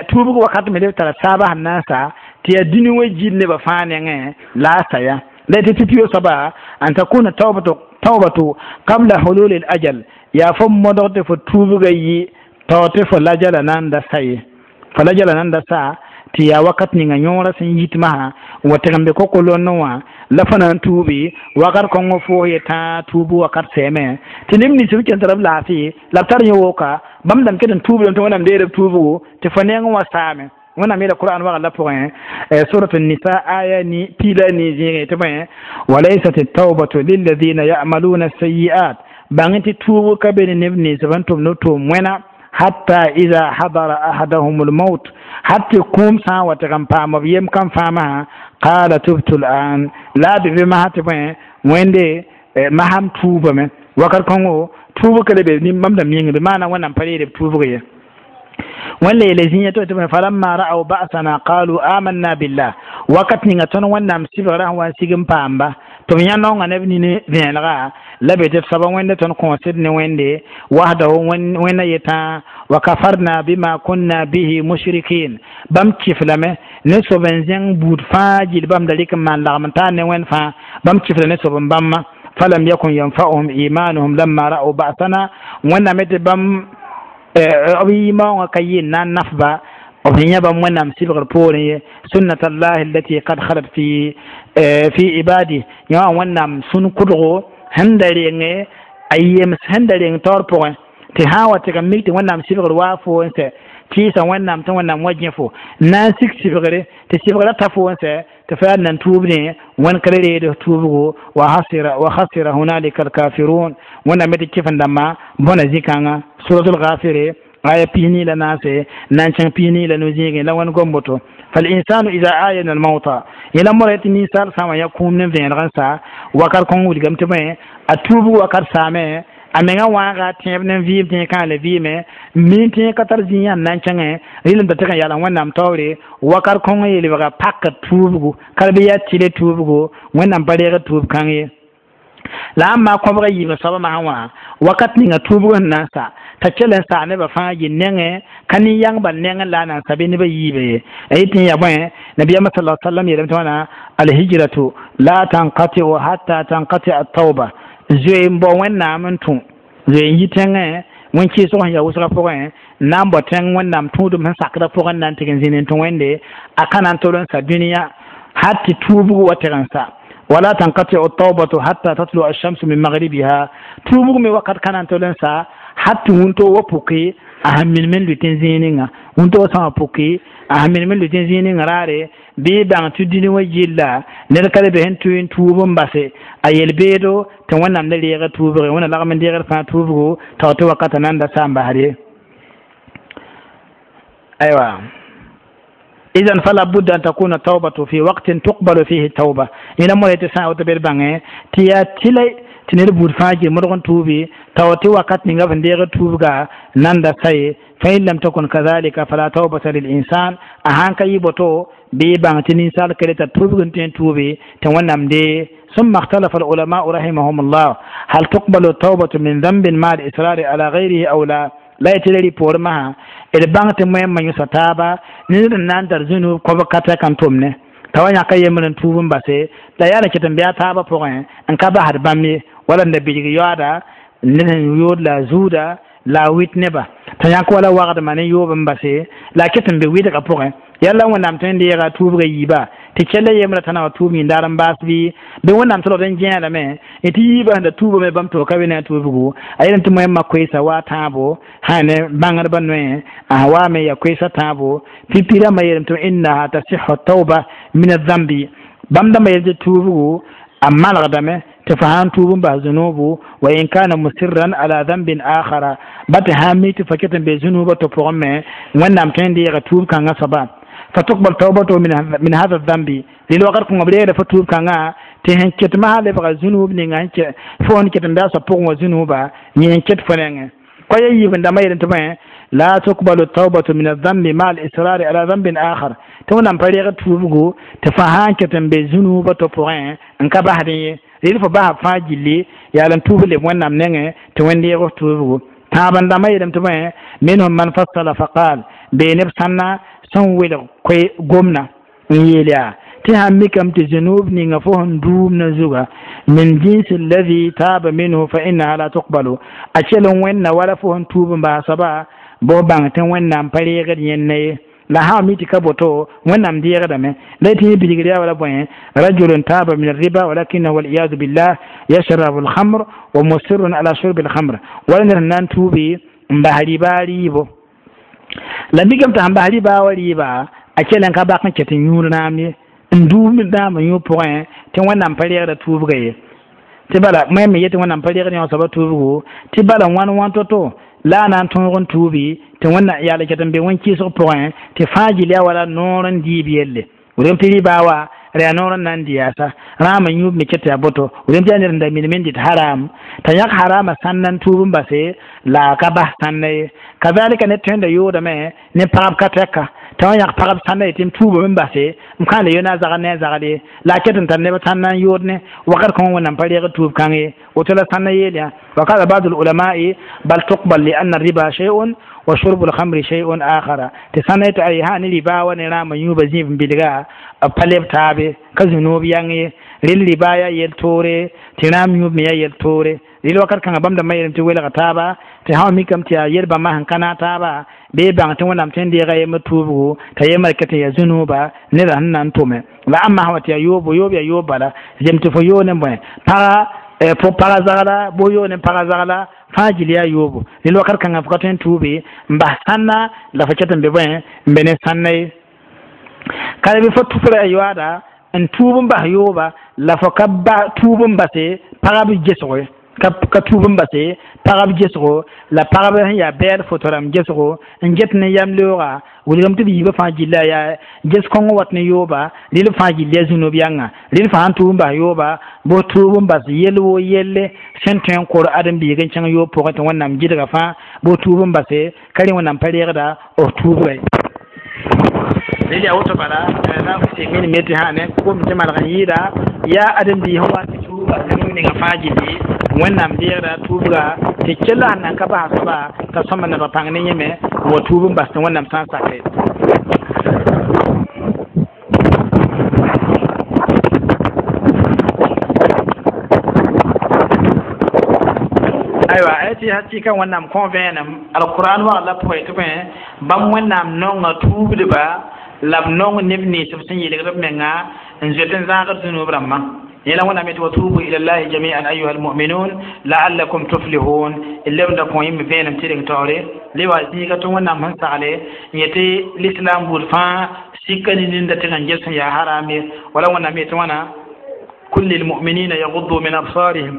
tuubg wakat me leb tara saabã sẽn na n sa tɩ yaa dũni wã gil nebã fãa nengẽ la a sa ya la tɩ pipi soaba an takuna tawbatu qabla hulul al ajal yaa fo modg tɩ fo tuubga yɩ tao tɩ fo lajala na n da sa ye fo lajala na n da sa tɩ yaa wakat ninga yõorã sẽn yit masã n wa tɩg n be koko-lonnẽ wã la fo na n tuubi wakat kõngõ foos ye tãa tuubu wakat sɛɛme tɩ neb nins b ken tara b laafɩ la b tar yẽ woka bãmb dãmb ket n tuubdame tɩ Wẽnnaam deer b tuubgo tɩ fo neng wã saame Wẽnnaam yeela Qur'an wagl la pʋgẽ surat nisa aya ni piila ni zĩigẽ tɩ bõe walaysat التوبة للذين يعملون السيئات bãng tɩ tuubg ka be ne neb nins b n tʋmd b tʋʋm wẽna hatta ida hadara ahadahum lmaut hat tɩ kũum sã n wa tɩg n paam b yem kam fãa masã qala tubtu l an la a be be masã tɩ bõe wẽnde masam tuubame Wakat kõngo tuubg ka le be bãmb dãmb yĩngã bɩ maana Wẽnnaam pa reed b tuubg ye. Wẽn la yeele zĩig tɩ falamma ra'aw ba'sana qalu amanna billah. Wakat ninga tõnd Wẽnnaam sɩbgrã sẽn wa n sig n paamba tɩ b yã naongã ne b nini vẽenega la be tɩ b soaba Wẽnde tõnd kõosd ne Wẽnde wahdahu Wẽnna yetã wa kafarna bima kunna bihi mushrikin. Bãmb kɩf lame ne soab n zẽng buud fãa gill bãmb da rɩk n maan lagm n taar ne Wẽnd fãa. Bãmb kɩfla ne soab n bãmba falam yakun yanfa'uhum imanuhum lamma ra'aw ba'sana. Wẽnnaam tɩ bãmb b yɩ-maoongã ka yɩ n na n nafba b sẽn yã bãmb Wẽnnaam sɩbgr poorẽ ye. Sunnat allahi allati kad halat fi ibadi yã wã Wẽnnaam sũn kʋdgo sẽn da renge a yems sẽn da reng taoor pʋgẽ tɩ sã n wa tɩg n mik tɩ Wẽnnaam sɩbgr waa fo n sɛ kɩɩsa Wẽnnaam tɩ Wẽnnaam wa gẽ fo na n sik sɩbgre tɩ sɩbgrã ta fo n sɛ tɩ fa yaa nan tuubdẽ Wẽnd ka le reed tuubgo. Wa khasira hunalika alkafirun. Wẽnnaam me tɩ kɩf-n dãmbã bõna zĩ-kãngã. Suratul Ghafire aya 44 na n kẽng 45 zĩigẽ la Wẽnd gom boto. Falinsanu ida ayana almauta yẽla mora tɩ ninsaal sã n wa yã kũum ne vẽeneg n sa wakat kõng wilgame tɩ bõe a tuubg wakat saame a menga wãaga tẽeb ne vɩɩm tẽ kãale vɩɩme min tẽ ka tar zĩ yãnd na n kẽngẽ rɩlem t'a tɩg n yala Wẽnnaam taoore wakat kõng yelbga pak tuubgu ka bɩ yaa tɩle tuubgo Wẽnnaam pa reeg tuub kãng ye. La ãn maa kõbga yiibã soabã masã wã wakat ninga tuubg sẽn na n sa t'a kell n saa nebã fãa yɩ nengẽ ka nin-yãng bal nengẽ la a na n sa bɩ nebã yiiba ye. A yetɩ n yaa bõe nabiyaamã sala sallam yeelame tɩ wãna alhijratu la tankatiu hatta tankati atauba zoe n bao Wẽnnaam n tũ zoe n yi tẽngẽ wẽn kɩɩsg sẽn yaa wʋsgã pʋgẽ n na n bao tẽng Wẽnnaam tũudum sẽn sakdã pʋgẽ n na n tɩg n zĩnd n tũ Wẽnde a ka na n tol n sa dũniyã hal tɩ tuubg wa tɩg n sa. Wala tankatiu taubatu hatta tatlu alshamsu min maghribiha tuubg me wakat ka na n tol n sa hal tɩ wũntoo wa puki a sẽn minim n lʋɩt n zĩig ninga wũntoo sã wa puki a sẽn minim n lʋɩt n zĩig ninga raare bɩ bãng tɩ dũni wã gilla ned ka le be sẽn tʋ n tuub n base a yel-beedo tɩ Wẽnnaam le reega tuubge Wẽnna lagm n deegd fãa tuubgo tao tɩ wakata nan da sa n basd ye. Aywa idan fala budda an takuna taubatu fi waqtin tuqbalu fihi tauba ina mo tɩ sã n woto bed bãngẽ tɩ yaa tɩla tɩ ned buud fãa gil modg n tuubi tao tɩ wakat ninga b sẽn deeg tuubga nan da sa ye. Fa in lam takun kadhalika fala taubata lil insan a sãn ka yɩ boto bɩ bãng tɩ ninsaal ka le tar tuubg n tõe n tuubi tɩ Wẽnnaam dee. ثم اختلف العلماء رحمهم الله هل تقبل التوبة من ذنب مع الإصرار على غيره أو لا. La y tɩ la rɩ masã d bãng tɩ moẽmã yõsa taaba ned n na n tar zũnub kõb ka tɛk n tʋm ne t'a wa yãka yembr n tuub n base la yaa la ket n bɩ a taabã pʋgẽ n ka basd bãmb ye wala n da bilg yaooda ned sẽn yood la a zuuda la a wɩt neba t'a yãk wala wagdmã ne yoob n base la a ket n be wɩdgã pʋgẽ yalla Wẽnnaam tõe n deega tuubgã yiiba tɩ kell yembrã t'a na wa tuub yĩndaar n baas bɩ bɩ Wẽnnaam tɩ n gẽelame tɩ yiibã sẽn da tuubame bãmb tɩ ka be ne a tuubgo a yel tɩ moẽmã koeesa waa tãabo sã ne bãngdbã noe a waame ya koeesa tãabo pipi rãmbã yeelame tɩ innaha tasihu tauba min azambi bãmb dãmbã yel tɩ tuubgo a malgdame tɩ fa sãn tuub n bas zunubu wa in kana musirran ala dambin akhara ba tɩ sãn mi tɩ fa ket n be zunubã to pʋgẽ me Wẽnnaam tõe n deega tuub kãngã soaba فتقبل توبته من هذا الذنب للوقت كون بليغ فتوب كان تهن كت ما lebga zunub ninga ke fo n ket n bɩa pʋgẽ wã zunuba yẽ n ket fo nengẽ koa yiib n dãmbã yel tɩ bõe la tuqbalu taubatu min adhambi ma al-israri ala dhanbin akhar tɩ Wẽnnaam pa reeg tuubgo tɩ fa sã n ket n be zunuba to pʋgẽ n ka basdẽ ye rɩl fo basa fãa gilli yaa la n tuub leb Wẽnnaam nengẽ tɩ Wẽnd deeg f tuubgo tãab n dãmbã yeelame tɩ bõe minhum man fassala faqal bee neb sãnna sẽn welg koe gomna n yeel yaa tɩ sãn mikame tɩ zunub ninga fo sẽn duumna zuga min jinsi alladhi taaba minhu fa innaha la tuqbalu a kell n wẽnna wala fo sẽn tuub n bas soaba bõ bãng tɩ Wẽnnaam pa reegd yẽnna ye la sã mi tɩ ka boto Wẽnnaam deegdame la y tɩ yẽ bilgr yaa wala bõe rajulun taaba min arriba walakinahu waliyadu billah yashrabu alhamr wa musirrun ala shurbi alhamr wala ned sẽn na n tuubi n bas rɩba rɩɩbo la mikame tɩ sẽn bas rɩba wa rɩɩba a kell n ka bak n ket n yũud naam ye n duub naam yũ pʋgẽ tɩ Wẽnnaam pa reegda tuubga ye tɩ bala me yetɩ Wẽnnaam pa reegd yõ soaba tuubgo tɩ bala wãn wãn to-to la a na n tõog n tuubi tɩ Wẽnna yaa la ket n be wẽn-kɩɩsg pʋgẽ tɩ fãa gil yaa wala noor n diib yelle wilgame tɩ rɩba wa ra noor n na n dɩ yaasa rãam n yũub me ket yaa boto wʋrem tɩ yaa ned n da minim n dɩt haram t'a yãk harama sãnna n tuub n base la a ka bas sãnna ye kazalika ned tõe n da yoodame ne pagb ka tɛka t'a wã yãk pagb sãnna yetɩ m tuubame n base m kãale yo na a zagd ne a zagd ye la a ket n tar neb sãnna n yood ne wakat kõn wẽnnaam pa reeg tuub kãng ye woto la sãnna yeel yã wa qala ba'd ulamai bal tuqbal lianna riba shay'un wa shurbu lhamri shay'un akhara tɩ sãnna yetɩ ay sã ne riba wa ne rãam n yũuba zĩib n bilga b pa leb taabe ka zũnoob yãng ye rel riba yaa yel-toore tɩ rãam yũub me yaa yel-toore rel wakat kãngã bãmb dãmbã yeelame tɩ welga taaba tɩ sã wa mikame tɩ yaa yel-bãmbã sẽn ka naag taaba bee bãng tɩ wẽnnaam tõe n deega yembr tuubgo t'a yembr ket n yaa zũnooba neda sẽn na n tʋme la ãmba sã wa tɩ yaa yoobo yoob yaa yoob bala zem tɩ fo yoog ne bõe pagã fo pagã zagla boo yoog ne pagã zagla fãa gil yaa yoobo rel wakat kãngã fo ka tõe n tuube n bas sãnna la fo ket n be bõe n be ne sãnna ye ka bɩ fo tʋfra yoaada n tuub n bas yooba la fo ka ba tuub n base pagb gesgo ye ka tuub n base pagb gesgo la pagb sẽn yaa bɛɛd foto rãmb gesgo n get ne yam leooga wilgame tɩ b yiibã fãa gilla yaa ges kõng wat ne yooba rel fãa gill yaa zũnub yãnga rel fãa sẽn tuub n bas yooba bos tuub n bas yell woo yelle sẽn tõe n kor ãdem-biig n kẽng yoob pʋgẽ tɩ wẽnnaam gɩdga fãa bos tuub n base ka rẽ wẽnnaam pa reegda b tuubga ye rel yaa woto bala la minime tɩ sã ne kom tɩ malg n yɩɩda yaa ãdem-biig sẽn wa tɩ tuub bas ninga fãa gilli wẽnnaam deegda tuubga tɩ kella sẽn nan ka basa soaba t'a sõma neb pãng ne yẽme n wa tuub n bas tɩ wẽnnaam sã n sake aywa a tɩ hakɩka wẽnnaam kõ vẽenem alquran wagl la pʋgẽ tɩ bõe bãmb wẽnnaam nonga tuubdba la b nong neb nins b sẽn yelgd b menga n zoet n zãagd zũnub rãmbã yẽla wẽnnaam yetɩ wa tubu ila llahi jamian ayuha almuminun laallakum tuflihun d lebda kõ yẽmb vẽenem tɩ reng taoore le wa zĩiga tɩ wẽnnaam sẽn sagle n yetɩ l'islam buud fãa sika ne ninda tɩ n ges sẽn yaa haram ye wala wẽnnaam yetɩ wãna kul lilmuminina yaguddu min absarihim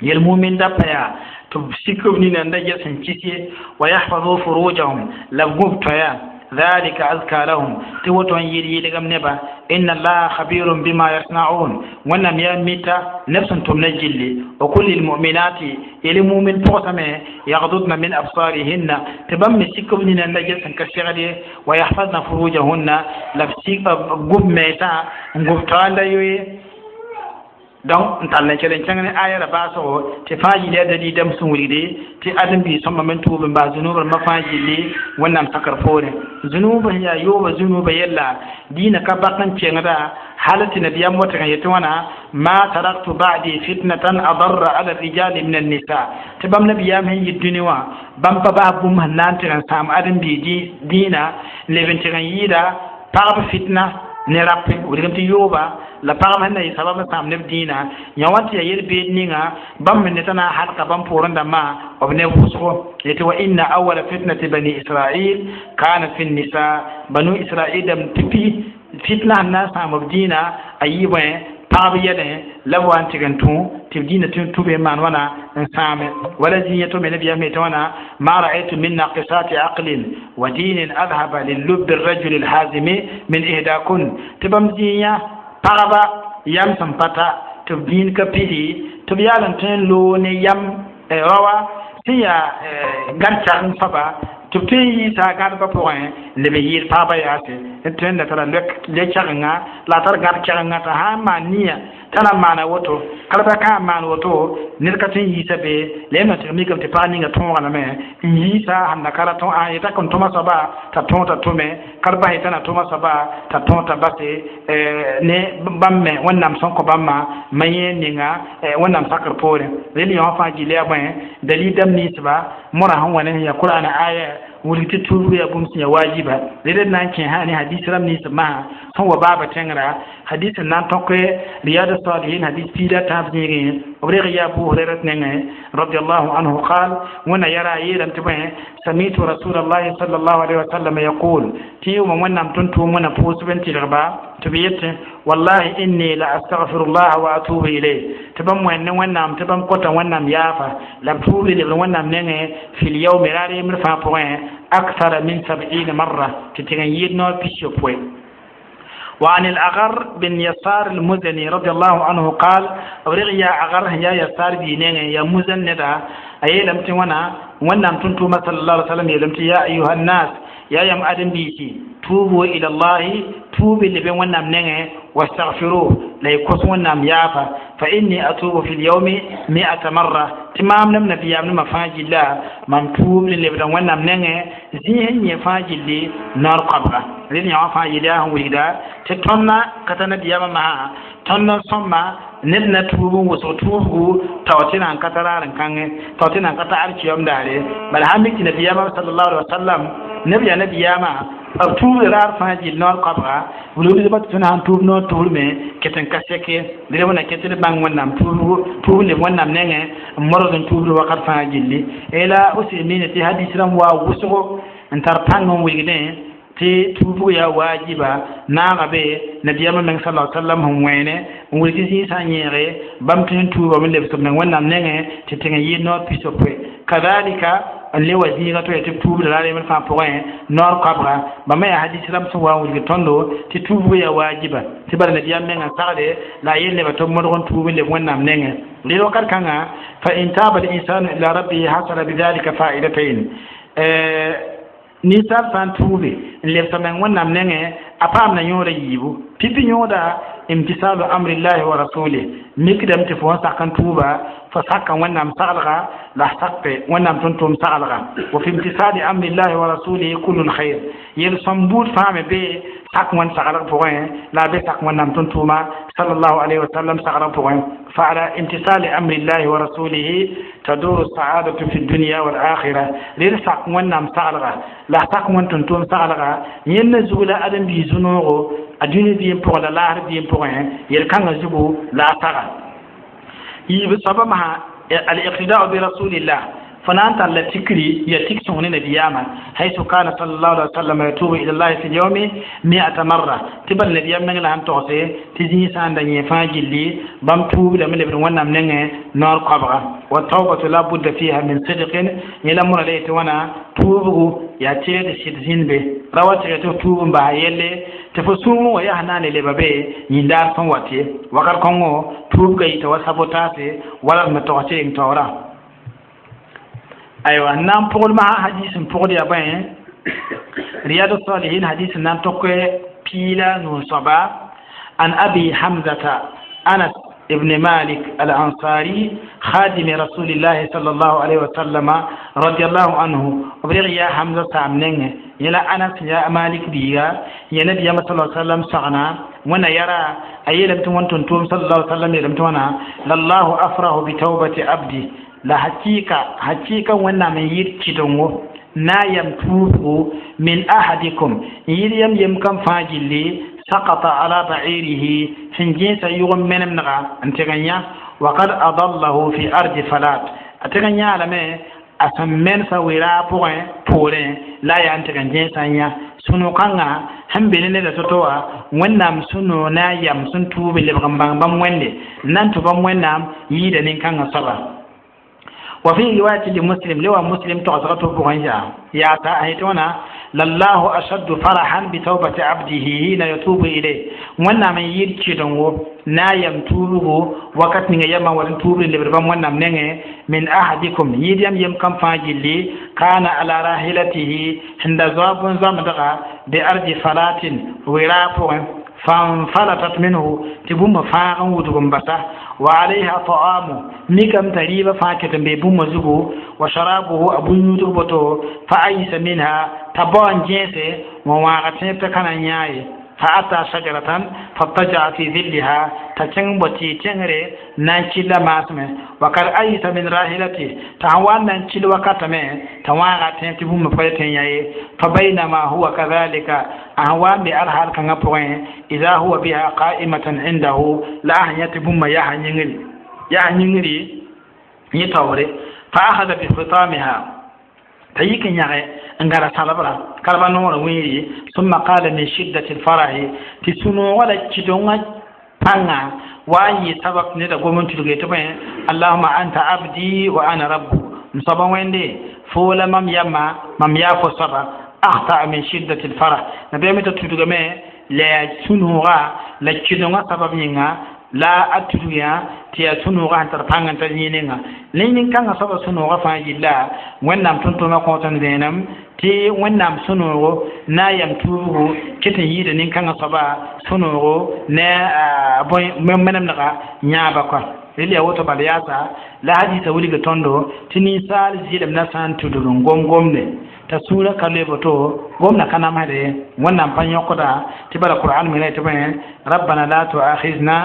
yel mumin da pa yaa tɩ b sik b nina n da ges sẽn kis ye wa yahfazu furujahum la b gũb toaya ذلك أزكى لهم توتون يلي يلغم نبا إن الله خبير بما يصنعون ونم يميتا نفس تمنجل وكل المؤمنات يلي مؤمن بوسمه يغضضن من أبصارهن تبم سكبننا النجس كشغلي ويحفظن فروجهن لبسيك قب ميتا قب يوي donc n tall n kell n kẽng ne aya ra baasgo tɩ fãa yɩl yaa dalil dãmb sẽn wilgde tɩ ãdem-biis sõma me tuub n bas zũnub rãmbã fãa gilli wẽnnaam sakr poorẽ zũnub sẽn yaa yooba zũnuba yella dĩinã ka bak n kẽngda hal tɩ nabiyaam wat n yetɩ wãna ma taraktu ba'di fitnatan adarra ala rijali min annisa tɩ bãmb nabiyaam sẽn yit dũni wã bãmb pa bas bũmb sẽn na n tɩg n sãam ãdem-biig dĩinã n leb n tɩg n yɩɩda pagb fitna ne rape wilgame tɩ yooba la pagb sẽn na yɩ sabab n sãam neb dĩinã yã wa tɩ yaa yel-beed ninga bãmb me ne t'a na n halka bãmb poorẽ dãmbã b ne wʋsgo yetɩ wa inna awala fitnati bani israil kana fi nisa banu israil dãmb tɩ pi fitna sẽn na n sãam b dĩinã a yɩ bõe pagb yɛlẽ la b wa n tɩg n tũ tɩ b dĩinã tũ be n maan wãna n sãame wala zĩ tɩ me nabiyaam yetɩ wãna ma ra'aytu min naqisati aqlin wa dinin adhaba lillubi rajuli lhazimi min ihdakun tɩ bãmb zĩig pagba yam sẽn pa ta tɩ b dĩin ka pidi tɩ b yaal n tõe n loog ne yam raoa sẽn yaa gãd-kɛgeng soaba tɩ b tõe n yiisa a gãdbã pʋgẽ n leb n yɩɩd pagba yaase d tõe n da tara le-kɛgenga la a tar gãd-kɛgenga t'a sã n maan nia t'a na n maana woto kalba ka n maan woto ned ka tõe n yiisa be la yẽmb na tɩg mikame tɩ pag ninga tõogalame n yiisa sẽn da ka ra tõ a yeta kõn tõma soaba t'a tõog t'a tʋme kalba yeta na tõma soaba t'a tõog t'a base ne bãmb me wẽnnaam sẽn kõ bãmbã ma yẽ ninga wẽnnaam sakr poorẽ rel yõ fãa gil yaa bõe dalil dãmb ninsba mora sẽn wa ne sẽn yaa qur'ana aya wilg tɩ tuubg yaa bũmb sẽn yaa waajiba rel d na n kẽ sã ne hadis rãmb ninsb masã sẽn wa baaba tẽngra hadis n na n tõk riyad salihin hadis piida tãab zĩigẽ b reg yaa abu hurairat nengẽ radiallahu anhu qal wẽnna yara a yeelame tɩ bõe samitu rasulallahi sallallahu alaihi wasallam yaqul tɩ yʋʋma wẽnnaam tʋm-tʋʋm wẽna pʋʋsb n tɩlgba tɩ b yetẽ wallahi inni la astaghfirullah wa atubu ilayh tɩ bãmb wẽnd ne wẽnnaam tɩ bãmb kota wẽnnaam yaafa la b tuub lebd wẽnnaam nengẽ fil yaumi raar yembr fãa pʋgẽ akthara min sab'ina marra tɩ tɩg n yɩɩd noor pis-yopoe وعن الأغر بن يسار المزني رضي الله عنه قال رغي يا أغر يا يسار بينين يا مزن ندا أي لم توانا وانا تنتو صلى الله عليه وسلم يلمت يا أيها الناس يا يم آدم بيتي توبوا إلى الله توبوا اللي بين وانا منين واستغفروه لا يكوس وانا يافا فإني أتوب في اليوم 100 مرة تمام نم نبي أمن مفاجي الله من توب اللي بين وانا منين زين يفاجي اللي نار قبره لين يفاجي الله ويدا تتمنى كتنا بيام ما تمنى سما ned na tuub n wʋsg tuubgu tao tɩ nan ka tar n kãngẽ tao tɩ nan ka tar kiyom daare bala sãn mik tɩ nabiyaamã sallallahu alaihi wasallam neb yaa nabiyaamã b tuubda raar fãa gill noor koabga wilgdbã tɩ tõnd sãn tuub noor tubrme ket n ka sɛke d wẽna ket d bãng wẽnnaam tuubgu tuub leb wẽnnaam nengẽ n modg n tuubd wakat fãa gilli la useymiine tɩ hadis rãmb waa wʋsgo n tar pãng n wilgdẽ tɩ tuubg yaa waajiba naaga be nabiyaamã meng sala sallam sẽn wẽene n wilg tɩ zĩig sã n yẽege bãmb tõe n tuubame lebs b meng wẽnnaam nengẽ tɩ tẽng n yɩɩd noor pisopoe kadalika n le wa zĩiga to ya tɩ b tuubda ra reemd fãa pʋgẽ noor koabga bãmba yaa hadis rãmb sẽn wa n wilg tõndo tɩ tuubg yaa waajiba tɩ bala nabiyaam mengã sagde la a yel nebã tɩ b modg n tuub n leb wẽnnaam nengẽ rɩd wakat kãnga fa in taaba linsanu ila rabbihi hasala bidhalika faidatayn ninsaal sã n tuube n lebsa meng wẽnnaam nengẽ a paam na yõoda yiibu pipi yõoda imtisalu amrillahi wa rasulih mikdame tɩ fo wã sak n tuuba fo saka wẽnnaam saglga la sakpe wẽnnaam tʋm-tʋʋm saglga wa fi imtisali amrillahi wa rasulihi kullu lkhair yel-sõm buud fãa me be sak wẽnd saglg pʋgẽ la a be sak wẽnnaam tʋm-tʋʋma sallallahu alayhi wa sallam saglg pʋgẽ فعلى امتثال أمر الله ورسوله تدور السعادة في الدنيا والآخرة لرسق ونام سعلغا لا سق ون تنتم سعلغا ين زغلا أدم بيزنوغو الدنيا بيم بوغ لا لاهر بيم بوغ يلكان زغو لا سغا يبسبب مع الاقتداء برسول الله فنان تالا تكري يتك سوني نبياما حيث كان صلى الله عليه وسلم يتوب إلى الله في اليوم 100 مرة تبل نبيام نغلا هم توسي تزي سان دني فاجلي بام توب لم لبن ونام نغ نار قبغا والتوبة لا بد فيها من صدق يلمر ليت وانا توبو يا تيد سيد به روات توب با يلي تفسوم ويا هنان لبابي يندار فن واتي وقال كونغو توب غي توسابوتاسي ولا متوتي تورا أيوة نام بقول مع حديث بقول يا بين رياض الصالحين حديث نام تقوى بيلا نصبا عن أبي حمزة أنس ابن مالك الأنصاري خادم رسول الله صلى الله عليه وسلم رضي الله عنه وبرغ يا حمزة سامنين يلا أنس يا مالك بيغا يا نبي صلى الله عليه وسلم سغنا وانا يرى أي لم تون تنتم صلى الله عليه وسلم لم توانا لله أفرح بتوبة عبدي la hakika hakika wẽnnaam n yɩɩd kɩdengo na n yam tuubgo min ahadikum n yɩɩd yam yem kam fãa gilli sakata ala ba'irihi sẽn gẽesa yʋg n menemdga n tɩg n yã wakad adallahu fi ardi falat a tɩg n yãa lame a sẽn mensa wera pʋgẽ poorẽ la a yaa n tɩg n gẽesa n yã sũ-no-kãngã sẽn be ne neda to-to wã wẽnnaam sũ-noog na a yam sẽn tuub n lebg n bãng bãmb wẽnde n na n tʋ bãmb wẽnnaam yɩɩda nin-kãngã soaba وفي رواية لمسلم لو مسلم تغزغته بغنجا يا تأهيتونا لله أشد فرحا بتوبة عبده حين يتوب إليه وانا من يركدنغو نا يمتوبه وقت نيغا يما ورن توب لبربام وانا منغي من أحدكم يديم يم كم فاجلي كان على راحلته عند زواب زمدغا بأرض فلات وراء فانفلتت منه تبوم فاغن ودغم بسا وعليها طعام ميكم تريبا فاكت ببوم زغو وشرابه أبو يدغ فأيس منها تبان جنسي وواغتين تكنا نياي فأتى شجرة فاضطجع في ظلها تكن بتي تنري نانشي لما وقد أيس من راحلته تهوان نانشي وقتمه تواغتين تبوم فايتين ياي فبينما هو كذلك أهوان بأرحال كان إذا هو بها قائمة عنده لا يتبوم يا يهنينغري يتوري فأخذ بخطامها تيك يغي انغرا سالبرا كربا نور ويري ثم قال من شدة الفرح تسنو ولا تشدونga panga wayi sabab ne da gwamnati tilge ta bayan Allahumma anta abdi wa ana rabbu musaban wende fola mam yamma mam ya fo saba akhta min shiddati alfarah nabi mita tuduga me La yaa sũ-noogã la kɩdengã sabab yĩnga la a tudg yã tɩ yaa sũ-noogã sẽn tar pãng n ta zĩig ninga ne nin-kãngã soaba sũ-noogã fãa yilla Wẽnnaam tʋm-tʋʋmã kõot n vẽenem tɩ Wẽnnaam sũ-noogo na n yam tuubgo kɩt n yɩɩda nin-kãngã soaba sũ-noogo ne a bõe menemdga yãaba kɔa rel yaa woto bala yaasa la hadisa wilg tõndo tɩ ninsaal zɩlemdã sã n tudg n gom gomde t'a sũurã ka loe boto gomdã ka namsde Wẽnnaam pa yõkda tɩ bala Qur'an me tɩ bõe rabbana la tuakhizna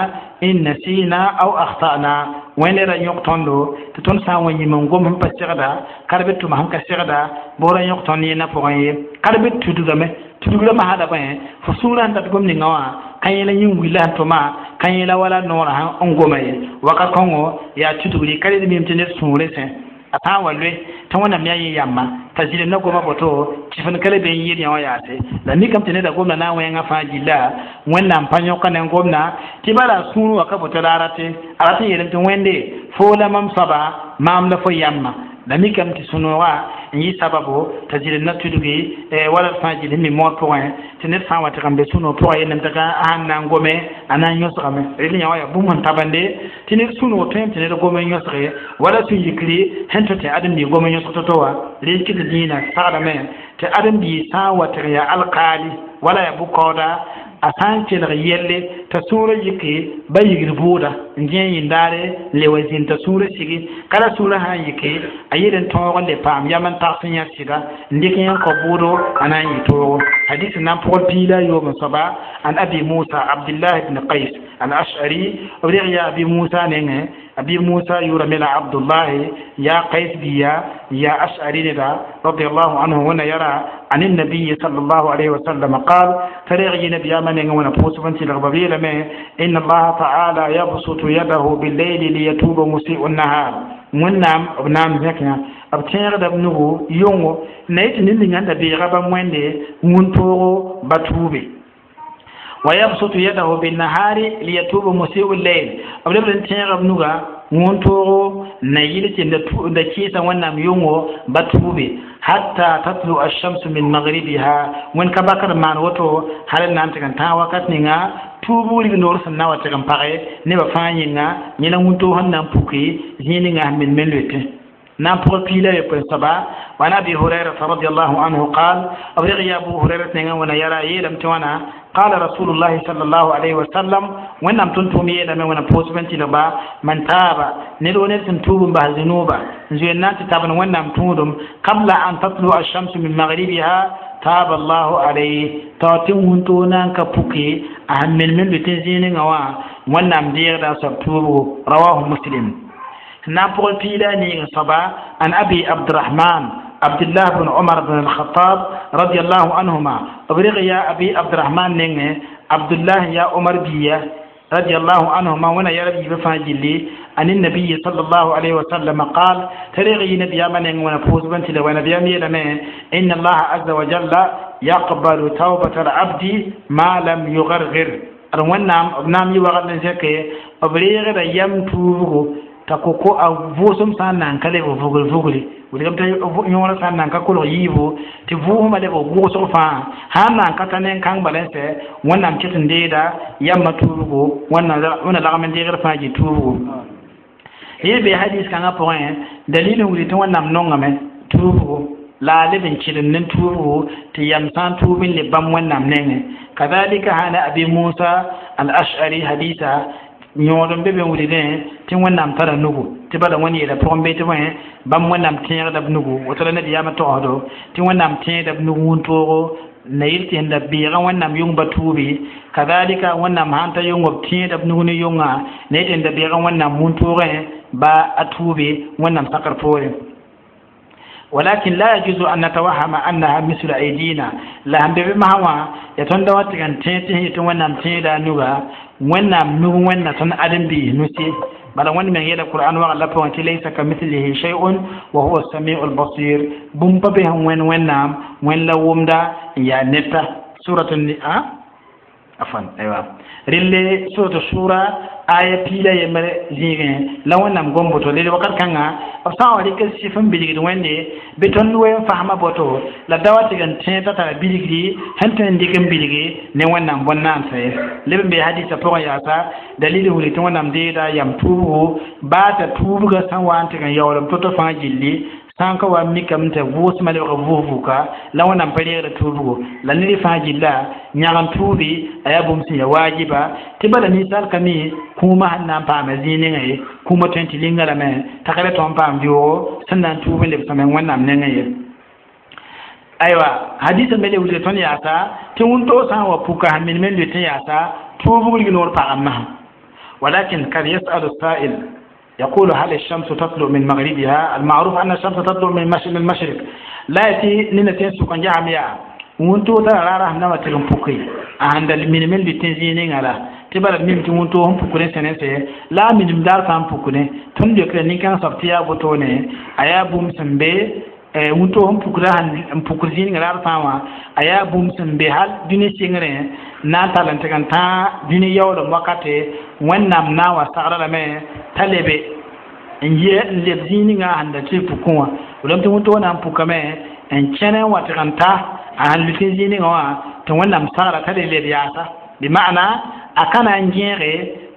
in nasina aw akhtana wẽnde ra yõk tõndo tɩ tõnd sã n wa yĩm n gom sẽn pa segda ka b tʋma sẽn ka segda boora yõk tõnd yẽnda pʋgẽ ye ka b tudgame tudgrã masada bõe fo sũurã sẽn dat gom ninga wã ka yẽla yĩn willa sẽn tʋma ka yẽla wala noorã sẽn goma ye wakat kõngo yaa tudgri ka red mim tɩ ned sũurẽ sẽ a sã n wa loe tɩ Wẽnnaam yaa yẽ yamba t'a zɩlemdã goma boto tɩ ka le be n yɩɩd yã wã yaase la mikame tɩ neda gomda na n wẽngã fãa gilla Wẽnnaam pa yõka ne gomda tɩ bala a sũur wa ka boto la a rate a rat n yeelame tɩ Wẽnde foo la mam soaba maam la fo yamba la mikame tɩ sũ-noogã n yɩ sababo t'a zɩlemdã tudgi wala d fãa gill sẽn mi moor pʋgẽ tɩ ned sã n wa tɩ n be sũ-noog pʋgã yelname tɩ ka sãn na n gome a na n yõsgame rel yã wã yaa bũmb sẽn tabende tɩ ned sũ-noog tõem tɩ ned gom n yõsge wala sũ-yikri sẽn tʋ tɩ ãdem-biig gom n yõsg to-to wã rel kɩ tɩ dĩinã sagdame tɩ ãdem-biig sã n wa tɩg yaa alkaali wala yaa bʋ-kaooda a sã n kelg yelle t'a sũurã yike ba yigd bʋʋda n dẽ yĩndaare n le wa zĩnd t'a sũurã sigi ka la sũurã sã n yike a yel n tõog n le paam yam n tags n yã sɩda n dɩk yẽ n kao bʋʋdo a na n yɩ toogo hadis n na n pʋgl piig la a yoob n soaba an Abi Musa Abdullah ibn Qais al-Ash'ari b reg yaa Abi Musa nengẽ Abi Musa yʋʋra me la Abdullahi yaa Qais biya ya Ash'ari neda radiallahu anhu wẽna yara عن النبي صلى الله عليه وسلم قال فريغ نبي من وانا بوسفن تلغ إن الله تعالى يبسط يده بالليل ليتوب مسيء النهار wẽnnaam b naam zẽkã b tẽegda b nugu yʋngo na yetɩ ned ninga da beega bãmb wẽnde wũntoogo ba tuube ويبسط يده بالنهار ليتوب مسيء الليل b lebd n tẽega b nuga wũntoogo na yɩl tɩ da kɩɩsa Wẽnnaam yʋngo ba tuube hatta tatlu alshamsu min maghribiha wẽn ka bakr maan woto hal n na n tɩg n tãag wakat ninga tuubg rig noor sẽn na wa tɩg n page nebã fãa yĩnga yẽla wũntoog sẽn na n puke zĩig ninga sẽn men loetẽ na n pʋgl piig la yopoe soaba وعن ابي هريره رضي الله عنه قال ابلغ يا ابو هريره نغا ونا يرى يلم توانا قال رسول الله صلى الله عليه وسلم وانم تنتم يلم وانا بوسبن تلبا من تاب نلو نلسن توب به ذنوبا زينات تابن وانم تودم قبل ان تطلع الشمس من مغربها تاب الله عليه تاتي وانتونا كبوكي أهم من بتنزين وا وانم دير دا سبتوبو رواه مسلم نابل بيلاني صبا عن أبي عبد الرحمن عبد الله بن عمر بن الخطاب رضي الله عنهما أبرغ يا أبي عبد الرحمن نينه عبد الله يا عمر بيا رضي الله عنهما وانا يا ربي بفاجلي عن النبي صلى الله عليه وسلم قال تريغي نبي من وانا فوز بنت لو نبي إن الله عز وجل يقبل توبة العبد ما لم يغرغر wẽnnaam b na n mi wagd n zẽke b reegda yam tuubgo t'a koko a vʋʋsem sã n nan ka leb vugl vugli wilgame t'a yõorã sã n nan ka kolg yiibu tɩ vʋʋsmã leb gʋʋsg fãa sã n nan ka ta nen-kãng bala n sɛ Wẽnnaam ket n deeda yambã tuubgo Wẽnna lagm n deegd fãa yɩ tuubgo yẽ be hadis kãngã pʋgẽ dalil n wilg tɩ Wẽnnaam nongame tuubgo la a leb n kɩdem ne tuubgo tɩ yam sã n tuub n le bãmb Wẽnnaam nengẽ kadalika hana Abi Musa al-Ash'ari hadisa yõod n be be n wilgdẽ tɩ Wẽnnaam tara nugu tɩ bala wẽnd yeela pʋgẽ bee tɩ bõe bãmb Wẽnnaam tẽegda b nugu woto la nabiyaamã togsdo tɩ Wẽnnaam tẽegda b nug wũntoogo na yɩl tɩ sẽn da beegã Wẽnnaam yʋng ba tuubi kadalika Wẽnnaam sãn ta yʋngo b tẽeda b nug ne yʋnga na yɩl tɩ sẽn da beegã Wẽnnaam wũntoogẽ ba a tuubi Wẽnnaam sakr poorẽ ولكن لا يجوز أن نتوهم أنها مثل أيدينا لا هم بما هو يتون دوات كان تيتي يتون تيدا نوغا وين نوغ وين تن أدم بي نسي بل وين من يدا القرآن وغلا بوانت ليس كمثله شيء وهو السميع البصير بوم بهم وين وين نام وين لومدا يا نتا سورة عفوا أيوة ريلي سورة الشورى Aya piila yembr zĩigẽ la wẽnnaam gom boto leel wakat kãnga b sã n wa rɩk sɩf n bilgd wẽnde bɩ tõnd we n fasma boto la da wa tɩg n tẽ t'a tara bilgri sẽn tõe n dɩk n bilge ne wẽnnaam bõn-naansa ye leb n bee hadisã pʋgẽ yaasa dalil n wilg tɩ wẽnnaam deeda yam tuubgo baa t'a tuubgã sẽn wa n tɩg n yaoolem to-to fãa gilli sã n ka wa n mikame t'a vʋʋsmã lebg vʋʋs-vʋka la wẽnnaam pa reegda tuubgo la ned fãa gilla yãg n tuubi a yaa bũmb sẽn ya waajiba tɩ bala ninsaal ka mi kũumã sẽn na n paama zĩig ninga ye kũumã tõe n tɩ linga lame t'a ka le tõe n paam vɩoogo sẽn na n tuub n leb sõme wẽnnaam nengẽ ye. Aywa hadisa me le wilga tõnd yaasa tɩ wũntoo sã n wa puka sẽn minim n lʋɩt n yaasa tuubg rignoor pagã masã. ولكن قد يسأل السائل يقول هل الشمس تطلع من مغربها؟ المعروف أن الشمس تطلع من المشرق. لا يتي نينتين سكن جامعة wũntoo tara raara sẽn na wa tɩg n puke a sẽn da minim n lʋɩt zĩig ninga la tɩ bala d mim tɩ wũntoo sẽn pukd n sẽne sɛ la a minim daar fãa n pukdẽ tõnd leokra nin-kãng soab tɩ yaa wotone a yaa bũmb sẽn be wũntoo sẽn pukda n pukd zĩig ninga raar fãa wã a yaa bũmb sẽn be hal dũni sɩngrẽ na n tall n tɩg n tãag dũni yaoolem wakate wẽnnaam na n wa sagra lame t'a lebe n yɛ n leb zĩig ninga sẽn da tɩ pukẽ wã wolame tɩ wũntoo na n pukame n kẽne n wa tɩg n ta a sẽn lʋɩt zĩig ninga wã tɩ wẽnnaam sagra t'a le leb yaasa bɩ maana a ka na n gẽege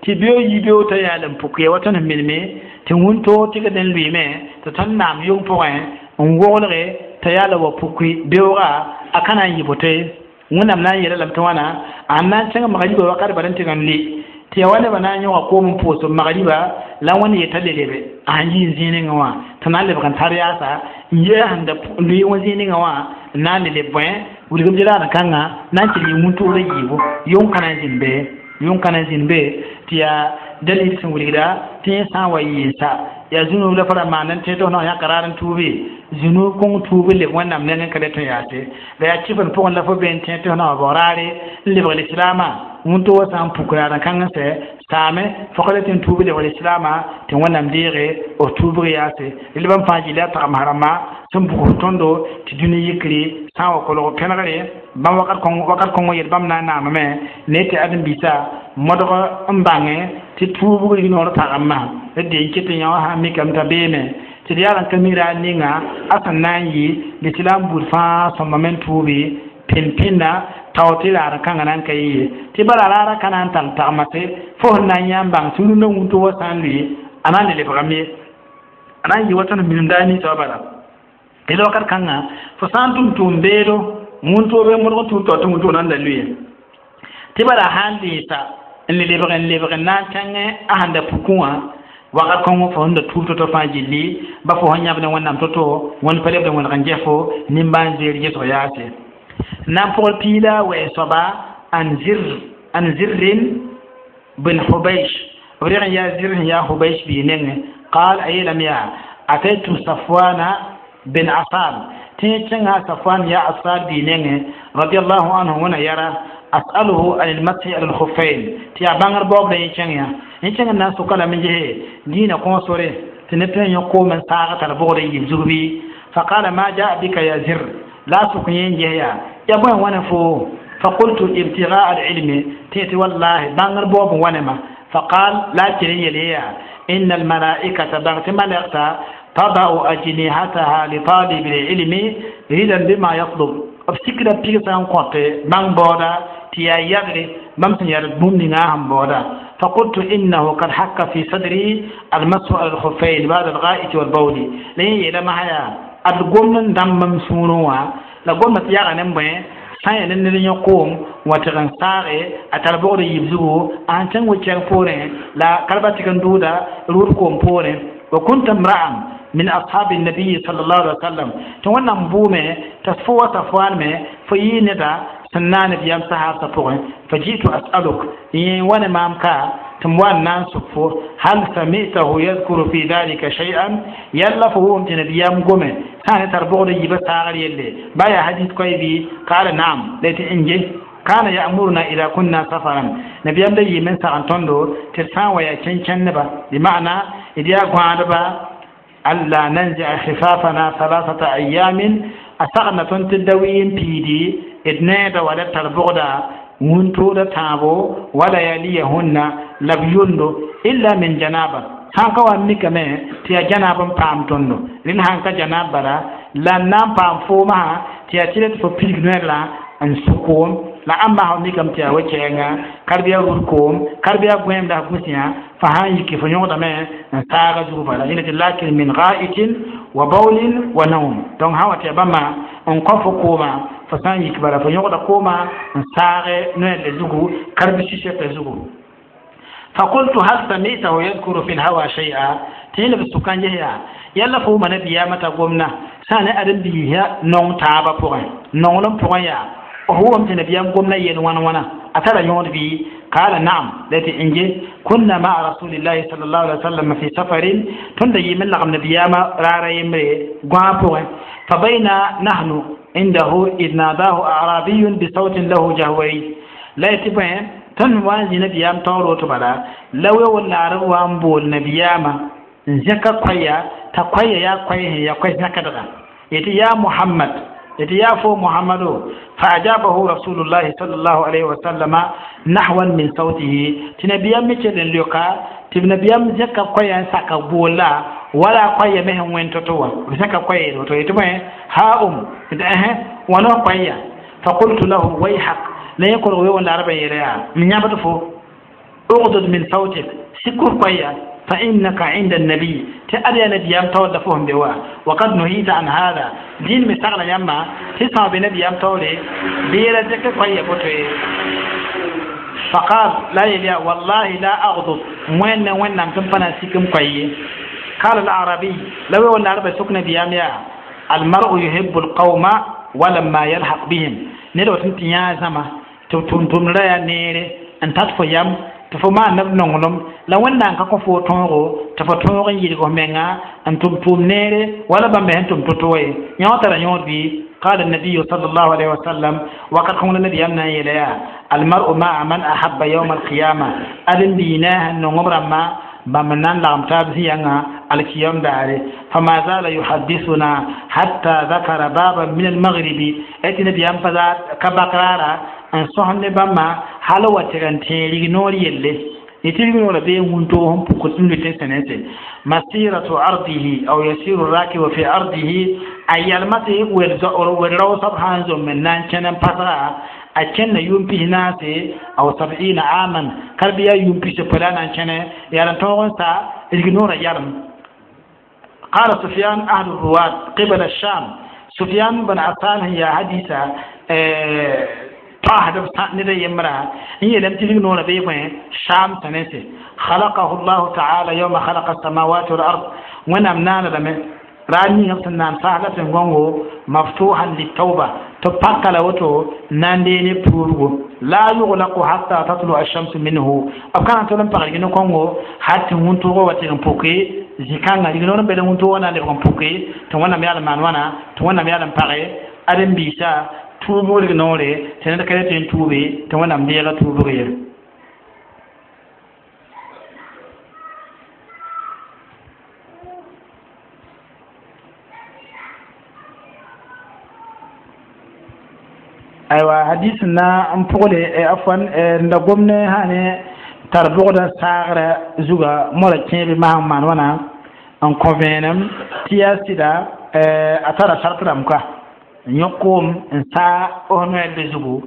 tɩ beoog yi beoog t'a yaal n puk ya wa tõnd sẽn minime tɩ wũntoo tɩgd n lʋɩɩme tɩ tõnd naam yʋng pʋgẽ n woglge t'a yaala wa puki beooga a ka na n yɩ boto ye wẽnnaam na n yeela lame tɩ wãna a na n kẽng magriba wakat bala n tɩg n le tɩ yaa wa nebã na n yõga koom n pʋʋs b magriba la wẽnd yeta le lebe a sẽn yi n zĩig ningã wã tɩ na n lebg n tar yaasa n yee sẽn da lʋɩ wã zĩig ningã wã n na n le leb bõe wilgem raad kãngã na n tɩ yɩ wũntoorã yiibu yʋng ka na n zĩnd be yʋng ka na n zĩnd be tɩ yaa dalil sẽn wilgda tɩ yẽ sã n wa yɩɩsa yaa zũnub la fo ra maan n tẽ tɩ f na yãka raar n tuubi zũnub kõng tuub n leb wẽnnaam nengẽ ka le tõe yaase la yaa kɩf n pʋgẽ la fo be n tẽ tɩ f na wa bao raare n lebg lislaamã wũntoo wã sã n puk raad n kãng n sɛ saame fo ka le tɩ n tuub lebg lislaamã tɩ wẽnnaam deege f tuubg yaase lebã fãa gilla yaa tagsem rãmbã sẽn bugs tõndo tɩ dũni yikri sã n wa kolg pẽnegre bãmb wakat kõng yel bãmb na n naamame ne tɩ ãdem-biisã modg n bãngẽ tɩ tuubg rignoor pagã masã d deen ket n yã wã sã n mikame t'a beeme tɩ d yaa n ka mi raar ninga a sẽn na n yɩ lislaam buud fãa sõmbame n tuubi pẽn-pẽnna tao tɩ raar kãngã na n ka yɩ ye tɩ bala raarã ka na n tall tagmase fo sẽn na n yã n bãng tɩ rũndã wũntoo wã sã n lʋɩ a na n le lebgame ye a na n yɩ wa tõnd minim daar ninsã wã bala d wakat kãngã fo sã n tʋm tʋʋm beedo wũntoo be modg n tuub tao tɩ wũntoo nan da lʋɩ tɩ bala sã n lɩɩsa n le lebg n lebg n na n kẽngẽ a sẽn da pukẽ wã wakat kõng fo sẽn da tuub to-to fãa gilli ba fo sẽn yãbd wẽnnaam to-to wẽnd pa lebd wẽneg n ges fo nimbãan-zeer gesg yaase na n pʋgl piila wɛɛn soaba an zir an zirrin bin hubaysh b reg n yaa zir sẽn yaa hubaysh bii nengẽ qaal a yeelame yaa ataytu safwana bin asal tɩ yẽ kẽnga safwan yaa asal bii nengẽ radiallahu anhu wẽna yara as'aluhu an ilmashi ala lkhuffain tɩ yaa bãngr baoob la yẽ kẽng yã yẽ kẽng n na n soka lame gese diinã kõosore tɩ neb tõe n yõ koom n saag tara bʋgd n yib zug bɩ faqala ma jaa bika ya zir la a sʋk yẽ n ges yaa ya bõe wãna foo faqultu ibtigaa alilmi tɩ tɩ wallahi bãngr baoob n wãnema faqal la a kell n yel yaa inna almalaikata bãng tɩ malɛgta tadau ajnihataha litalibi lilmi ridan bima yatlub b sikda pigsã n kõte bãng baooda tɩ yaa yagre bãmb sẽn yaa bũmb ninga sẽn baooda فقلت إنه قد حك في صدري المسح على الخفين بعد الغائط والبول لين يلا ما هيا ad gomd n dãmb m sũurẽ wã la gomdã tɩ yaga ne bõe sã n yaa ne ned yõ koom wa tɩg n saage a tar bogd yib zugu a sẽn kẽng wɩ-kɛng poorẽ la kalba tɩg n dʋʋda rʋʋd koom poorẽ wa kunta mra'an min ashabi nabiyi sallallahu alaihi wasallam tɩ wẽnnaam bʋʋme t'a fo wa safwaan me fo yɩ neda sẽn na nabiyam sahaabsã pʋgẽ fa jitu as'aluk yẽ wa ne maam ka tɩ m wa n na n sʋk fo hal samitahu yadkuru fi dhalika shay'an yalla fo wʋm tɩ nabiyam gome sã ne tar bogd yiibã saagr yelle ba yaa hadis koɛ bɩ qala naam la tɩ n ge kana ya'muruna ida kunna safaran nabiyam da yɩɩm n sag n tõndo tɩ d sã n wa yaa kẽn-kẽndba bɩ ma'ana d yaa gõadba alla nanzia khifafana thalathata ayamin a sagna tõnd tɩ da wɩ n piidi d needa wa la tar bogda wũntooda tãabo wala yaliyahunna la b yondo illa min janaba sãn ka wa n mikame tɩ yaa janaab n paam tõndo rẽnd sãn ka janaab bala la n na n paam foomã tɩ yaa tɩ tɩ fo pirig noɛɛr n sũ koom la ãmba sã mikame tɩ yaa we-kɛɛnga karb yaa rud koom karb yaa gõeem la gũsã fa sãn yiki fo yõgdame n saaga zug bala yẽla tɩ lakin min ga'itin wa bawlin wa naum donc sã wa tɩ yaa bãmba n kõ fo koomã fo sã n yik bala fo yõgda koomã n saage noɛɛr zugu karb sɩsɛta zugu. فقلت هل سمعته يذكر في الهوى شيئا؟ تيلا بسكان جهيا يلا فو من بيامة قمنا سنة أدن بيها نون تابا بوغن نون بوغن يا هو أمتن بيام قمنا ين وانا وانا أترى يون بي قال نعم التي إنجي كنا مع رسول الله صلى الله عليه وسلم في سفر تندي من لغم نبياما رارا يمري قوان بوغن فبين نحن عنده إذ ناداه أعرابي بصوت له جهوري لا يتبعين tõnd wa n zĩ nabiyaam taoor woto bala la we wẽnnaarb wa n bool nabiyaamã n zẽka koɛya t'a koɛya yaa koɛ sẽn yaa koɛ zãkdga yetɩ yaa Muhammad yetɩ yaa fo Muhammado fa ajabahu rasulullahi sallallahu alayhi wa sallama nahwan min sautihi tɩ nabiyaam me kell n leoka tɩ nabiyaam zẽka koɛya n saka boolla wala koɛya me sẽn wẽn to-to wã b zẽka koɛya yel woto yetɩ bõe ha um tɩ ɛhẽ wãna koɛya fa qultu lahu wayhak la yẽ kolg we wẽnnaarbã yeela yaa m yãbd fo ugdud min sautik sikur koɛya fa innaka inda annabiy tɩ ad yaa nabiyaam taoor la fo sẽn be wa wakad nuhita an hada dĩin me sagla yãmba tɩ sã be nabiyaam taoore bɩ yɛla zẽk koɛya boto ye faqal la yel yaa wallahi la agdud wẽnd ne wẽnnaam tɩ m pa na n sik m koɛ ye qala alarabiy la we wẽnnaarbã sʋk nabiyaam yaa almar'u yuhibu alqawma walamma yalhaq bihim ned wa tɩ tɩ yãa zãma tɩ tʋm-tʋmdrã yaa neere n tat fo yam tɩ fo maan neb nonglem la wẽnnaam ka kõ fo tõogo tɩ fo tõog n yɩlg f menga n tʋm tʋʋm neere wala bãmb me sẽn tʋm to-to ye yã wã tara yõod bɩ قال النبي صلى الله عليه وسلم وقد قلنا النبي أمنا إليها المرء مع من أحب يوم القيامة أدن بيناه النغم رما بمنان لغم تابزيانا الكيام داري فما زال يحدثنا حتى ذكر بابا من المغرب أتي نبي أم فزاد كبقرارا أن صحن بما حلوة تغنتين لغنور يلي يتلقون بين وانتوهم بكتن لتنسنسي مسيرة أرضه أو يسير الراكب في أرضه أي المتي والرو سبحان من نان كان بطرا أكن يوم ناسي أو 70 عاما كربيا يوم في سبلان كان يارن توغن سا الجنور يارن. قال سفيان أهل الرواة قبل الشام سفيان بن عفان هي حديثة طاهد ندى يمرا هي لم تلقنون بيبين شام تنسي خلقه الله تعالى يوم خلق السماوات والأرض ونمنان لم راني نفسنا سهلة غونغو مفتوحا للتوبة تبقى لوتو نانديني بورغو لا يغلق حتى تطلع الشمس منه أبكان تولم بغلقين كونغو حتى هونتوغو وتغن بوكي زيكانغا لغنون بلا هونتوغو نالغن بوكي توانا ميالا مانوانا توانا ميالا بغي أدن بيسا tuubg noore tɩ ned ka tɩ n tuube tɩ wẽnnaam deega tuubg ye. Aywa hadis na n pʋgle afwan n da gom ne sã ne tar bʋgda saagrã zuga mola kẽebe maasẽn maan wãna n kõ vẽenem tɩ yaa sɩda a tara sart rãmb ka yõk koom n saa f noɛɛlb zugu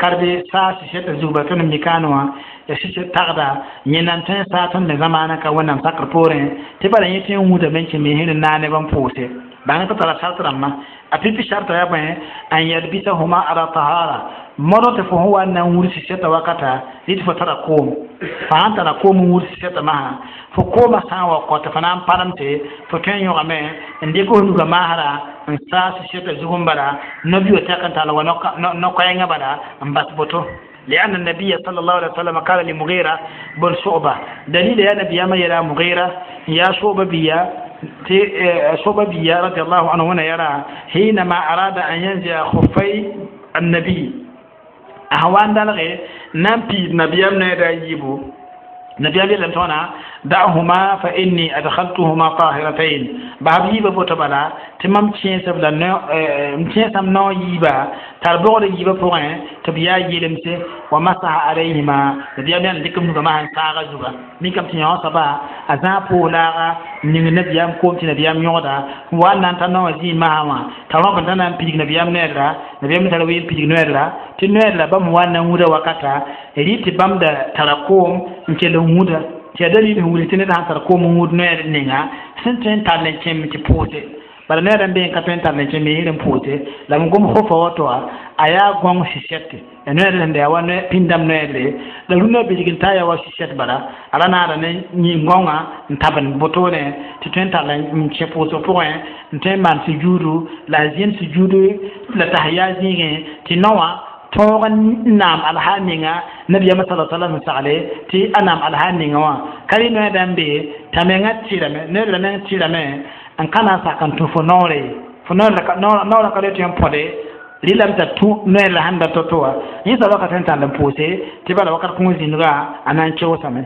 karbe saa sɩsɛtã zug ba tõnd mikaane wã ya sɩsɛt tagda yẽnda n tõe n saa tõnd me zamaanã ka wẽnnaam sakr poorẽ tɩ bala yẽ tõe n wũdame n kẽ me sẽn n naa neb n pʋʋse bãng tɩ tara sart rãmbã a pipi sarta yaa bõe an yalbisahuma ala tahara modg tɩ fo sẽn wa n na n wur sɩsɛtã wakata rɩ tɩ fo tara koom fo sãn tara koom n wur sɩsɛtã masã fo koomã sã n wa kɔ tɩ fo na n palem tɩ fo tõe n yõgame n dɩk f nugã maasrã n saa sɩsɛtã zug n bala no-bio tɛk n tall wa no-koɛɛngã bala n bas boto. لأن النبي صلى الله عليه وسلم قال لمغيرة بن شعبة دليل يا نبي ما يرى مغيرة يا شعبة بيا شعبة بيا رضي الله عنه هنا يرى حينما أراد أن ينزع خفي النبي أهوان دلغي نمبي نبي أمنا يبو نبي الله لم تنا دعهما فإني أدخلتهما طاهرتين باب يبا بوتبالا تمام تشين سبلا نو تشين سام نو يبا تربور يبا بوين تبيا يلمسه ومسح عليهما نبي الله لكم نغما ساغا زوغا ميكم تيون سبا أزا بولا نين نبي أم كوم تي نبي أم يودا وان نتا نو زي ما ترى بنتنا بيج نبي أم نيرا نبي أم تروي بيج نيرا تي نيرا بام وان نودا وكاتا ريت بام دا تراكوم نكلو نودا tɩ yaa dalil sẽn wilg tɩ ned sãn tar koom n wud noɛɛd ninga sẽn tõe n tall n kẽem tɩ pʋʋse bala noɛɛd n be n ka tõe n tall n kẽem yĩngr n pʋʋse la m gom fofa wato wã a yaa gõng sɩsɛte ya noɛɛd sẽn da yaa wa pĩndame noɛɛdre la rũndã bilg n taa yaa wa sɩsɛt bala a ra naara ne yĩn-gõngã n tabend wotone tɩ tõe n tall n kẽ pʋʋsg pʋgẽ n tõe n maan sujuudu la a zĩnd sujuudu la tas yaa zĩigẽ tɩ nao wã tõog n naam alha ninga nabiyama sallallahu alaihi wasallam sagle tɩ a naam alha ninga wã ka rɩ noɛɛda n be t'a mengã tɩrame noɛɛd meng tɩrame n ka na n sak n tũ fo noore fo noorã ka le tõe n põde rɩlame t'a tũ noɛɛd la sẽn da to-to wã yẽ soaba ka tõe n tall n pʋʋse tɩ bala wakat kõn zĩnga a na n keoosame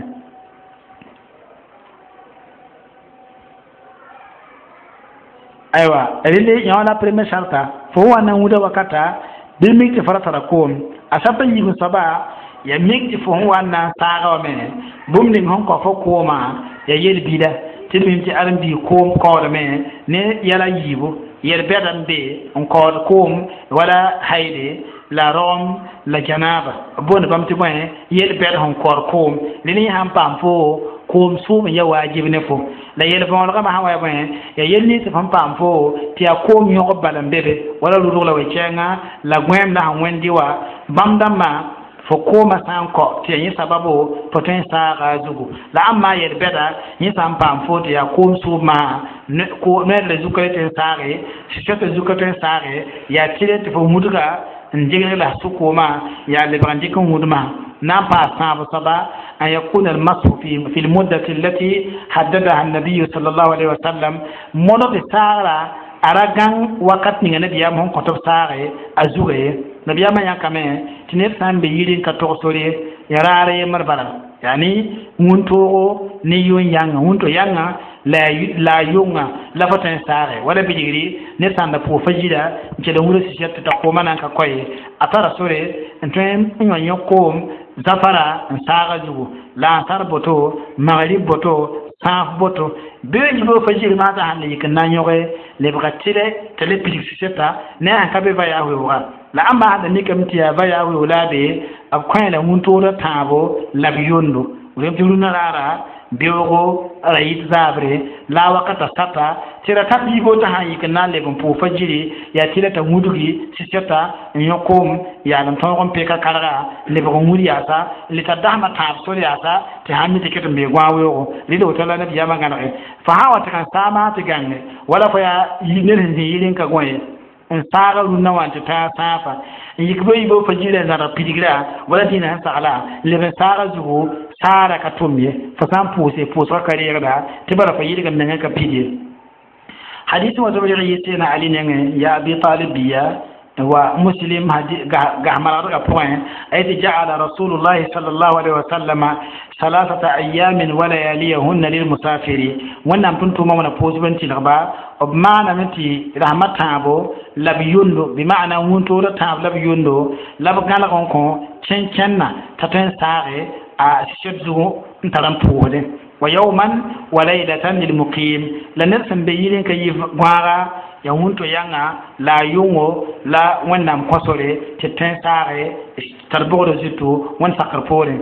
aywa rɩle yã la premier sarta fo wa na n wʋda wakata bɩ mik tɩ fo ra tara koom a sata yiib soaba ya mik tɩ fo sẽn wa n na n saaga wame bũmb ning sẽn kõ fo koomã ya yel-bila tɩ d mim tɩ ãrem-biig koom kaoodame ne yɛla yiibu yel-bɛda n be n kaood koom wala hayle la rogem la janaba boond bãmb tɩ bõe yel-bɛd sẽn kaood koom rẽ yẽ sãn paam fo koom sʋʋm n ya waajib ne fo la yel-võolgã sã wa ya bõe ya yel nins fõn paam fo tɩ yaa koom yõgb bala n be be wala rʋdg la we-kɛɛngã la gõeem la sẽn wẽndi wa bãmb dãmbã fo koomã sã n kɔ tɩ yaa yẽ sababo fo tõe n saaga a zugu la ãmb yel-bɛda yẽ sã n paam fo tɩ yaa koom sʋʋbmã noɛɛd la zuka tõe n saage sɩsɛtã zuka tõe n saage yaa tɩrɛ tɩ fo wudga n degl la sʋ koomã yaa lebg n dɩk n wudmã na n paas tãab soaba أن يكون المسح في المدة التي حددها النبي صلى الله عليه وسلم مولد سارة أرغان وقت نيغا نبي يام كتب سارة أزوغي نبي يام يا كامي تنير سان بيرين كتوغ سوري يراري مربلا يعني wũntoogo ne yʋn yãnga wũnto yãnga la yʋnga la fo tõe n saage wala bilgri ned sãn da pʋʋg fa zira n kell n wʋra sɩsɛt t'a koomã na n ka koe a tara sore n tõe n yõ yõ koom zafara n saaga zugu la ansar boto magrib boto sãaf boto bɩ yibg fa zir maasã sãn le yik n na n yõge lebga tɩrɛ t'a le pidig sɩsɛta ne a sẽn ka be va yaa weooga la ãmba sãn da mikame tɩ yaa va yaa weoog la a be b kõ la wũntoodã tãabo la b yondo rem tɩ rũnã raara beoogo ra yit zaabre la a wakata sata tɩ ra tat yiibg t'a sãn yik n na n leb n pʋʋg fa ziri yaa tɩ la t'a wudgi sɩsɛta n yõ koom yaa n tõog n peka karga n lebg n wud yaasa n le tar dasmã tãab sor yaasa tɩ sãn mi tɩ ket n bee gõa weoogo rɩla woto la nabiyaamã gãnege fo sã wa tɩ kan saamã tɩ gãnge wala fo yaa ned sẽn zĩ yiri n ka gõ ye n saaga rũnnã wã tɩ tã sãafa n yik ba yiibg fa zirã n zãrg pidigrã wala dĩinã sẽn sagla n leb n saaga zugu saara ka tʋm ye fo sã n pʋʋse pʋʋsgã ka reegda tɩ bara fo yɩlg mengã ka pid ye hadis wã tɩ b reg yɩ sẽna ali nengẽ ya abi talib biya wa muslim gahmargdgã pʋgẽ a yetɩ ja'ala rasulullahi sallallahu alaihi wasallama ثلاثة أيام ولياليهن للمسافر wẽnnaam tʋm-tʋʋmã wãna pʋʋsb n tɩlgba b maaname tɩ rasmã tãabo la b yondo bɩ maana wũntoodã tãab la b yondo la b gãlg n kõ kẽn-kẽnna t'a tõe n saage a sɩsɛt zugu n tar n pʋʋsdẽ wa yawman wa laylatan lilmuqim la ned sẽn be yiri n ka yi gõaga ya wũnto yãnga la a yʋngo la wẽnnaam kõsore tɩ tõe n saage tar bogdã zutu wẽnd sakr poorẽ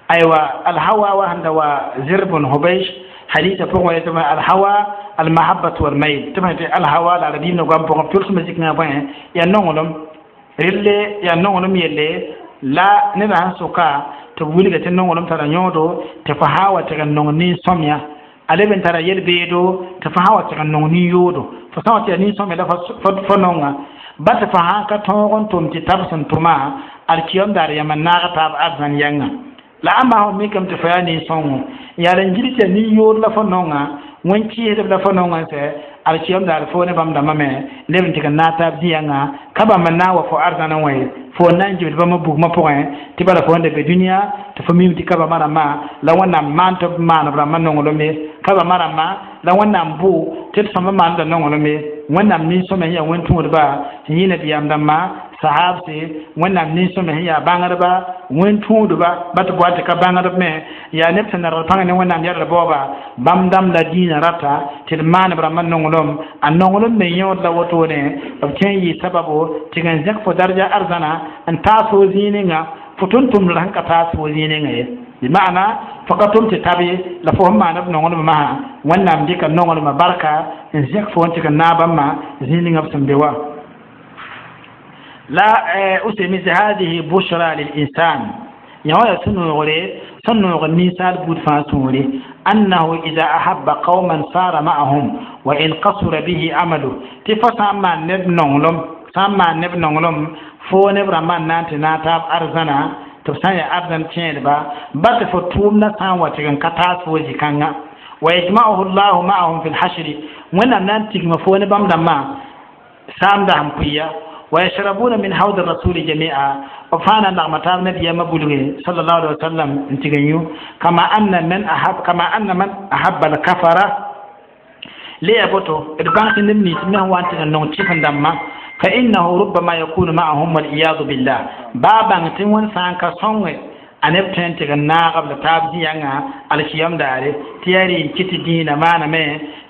aywa alhawa wa sẽn da wa zir bn hubaysh hadisa pʋgẽ wa yetɩ alhawa almahabbatu walmayl tɩ b tɩ alhawa la arabiim na goam pʋgẽ tʋlsmã zikngã bõe yaa nonglem relle yaa nonglem yelle la nedã sẽn sʋka tɩ b wilga tɩ nonglem tara yõodo tɩ fo sã wa tɩg n nong nin-sõmyã a leb n tara yel-beedo tɩ fo sã wa tɩg n nong nin-yoodo fo sã wa tɩ yaa nin-sõmyã la fo nonga ba tɩ fo sã ka tõog n tʋm tɩ tab sẽn tʋma alkiyom daar yãmb n naag taab arzãn yãnga la ãmba sẽn mikame tɩ fo yaa nin-sõngo yaa n gil tɩ yaa nin-yood la fo nonga wẽn-kɩɩsdb la fo nonga n sɛ Alkiyam daar fo ne bãmb dãmbã me leb n tɩg n naag taab zĩ-yãngã ka bãmb n na n wa fo arzãnã wã ye fo n na n gibd bãmb bugmã pʋgẽ tɩ bala fo n da be dũniyã tɩ fo mim tɩ ka bãmba rãmbã la Wẽnnaam maan tɩ b maan b rãmbã nonglem ye ka bãmba rãmbã la Wẽnnaam bʋ tɩ d sõmb maanda nonglem ye Wẽnnaam nin-sõma sẽn yaa wẽn-tũudba sẽn yɩ nabiyaam dãmbã sahabse Wẽnnaam nin-sõma sẽn yaa bãngdba wẽn-tũudba ba tɩ boa tɩ ka bãngdb me yaa neb sẽn narg pãng ne Wẽnnaam yɛlg baooba bãmb dãmb la dĩinã rata tɩ d maan b rãmbã nonglem a nonglem me yõod la wotone b tõe n yɩ sababu tɩ n zẽk fo darja arzãna n taas fo zĩig ninga fo tʋm-tʋmdr sẽn ka taas fo zĩig ninga ye bima'ana fo ka tʋm tɩ tab ye la fo sẽn maan b nonglem masã Wẽnnaam dɩka nonglmã barka n zẽk fo n tɩ n naag bãmba zĩig ninga b sẽn be wã la usemi hadihi bushra lil-insan yã wã yaa sũ-noogre sẽn noog ninsaal buud fãa sũure annahu ida ahabba qauman sara ma'ahum wa in qasura bihi amalu tɩ fo sã n maan neb nonglem sã n maan neb nonglem fo neb rãmbã n na n tɩ naag taab arzãna tɩ b sã n yaa arzãn kẽedba ba tɩ fo tʋʋmdã sã n wa tɩg n ka taas fo zĩ-kãngã wa yajma'uhu llahu ma'ahum fi lhashri Wẽnnaam na n tigma fo ne bãmb dãmbã saamda sẽn pʋɩya ويشربون من حوض الرسول جميعا وفانا نغمتان نبي ما بلغي صلى الله عليه وسلم انتغنيو كما أن من أحب الكفرة ليبوتو إدبانك نمني سمه وانت نون تشيفن دما فإنه ربما يكون معهم والعياذ بالله بابا تنون سانكا سونغ aneb tõe n tɩg n naag b la taab zĩ-yãngã alkiyam daare tɩ yaa rɩ n kɩ tɩ dĩinã maaname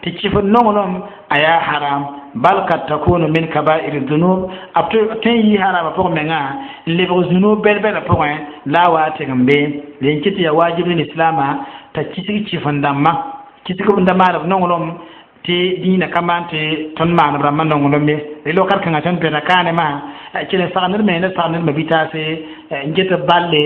tɩ kɩf nonglem a yaa haram bal kad takunu min kabair dhunub b tõe n yɩ harama pʋg mengã n lebg zunub bɛl-bɛlã pʋgẽ la a wa tɩg n bee ren kɩ tɩ yaa wajib ne lislaamã t'a kisg kɩf n dãmbã kisg n da maan b nonglem tɩ dĩinã ka maan tɩ tõnd maan b rãmbã nonglem ye rel wakat kãngã tõnd pẽda kaane maa kell n sagnd me la sagnd ma bitaase n get balle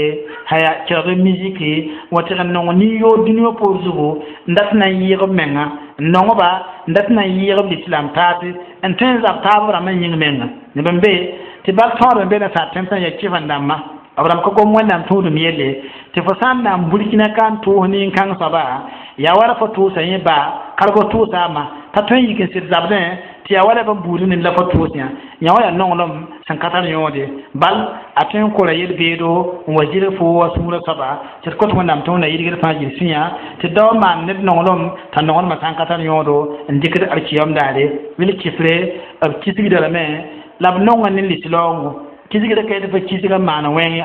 haya kelg miziki wa tɩg n nong nin-yood dũniyã poor zugu n dat na n yɩɩg b menga n nongba n dat na n yɩɩg b lislam taase n tõe n zab taab b rãmbã yĩng menga neb n be tɩ bal tõod n be na sar tẽmsã yaa kɩf n dãmbã b rãmb ka gom Wẽnnaam tũudum yelle tɩ fo sã n na n burkina ka n tʋʋs nin-kãng soaba yaa wala fo tʋʋsa yẽ baa ka fo tʋʋsa a ma t'a tõe n yik n sɩd zabdẽ tɩ yaa wala bãmb buud nin la fo tʋʋs yã yã wã yaa nonglem sẽn ka tar yõode bal a tõe n kora yel-beedo n wa zɩrg fo wa sũurã soaba tɩ d kõt Wẽnnaam tɩ Wẽnna yɩlgd fãa gil sũyã tɩ dao n maan ned nonglem t'a nonglmã sã n ka tar yõodo n dɩkd alkiyam daare wil kɩfre b kisgda lame la b nonga ne lislaoongo kisgra ka tɩ fo kisga n maan wẽnge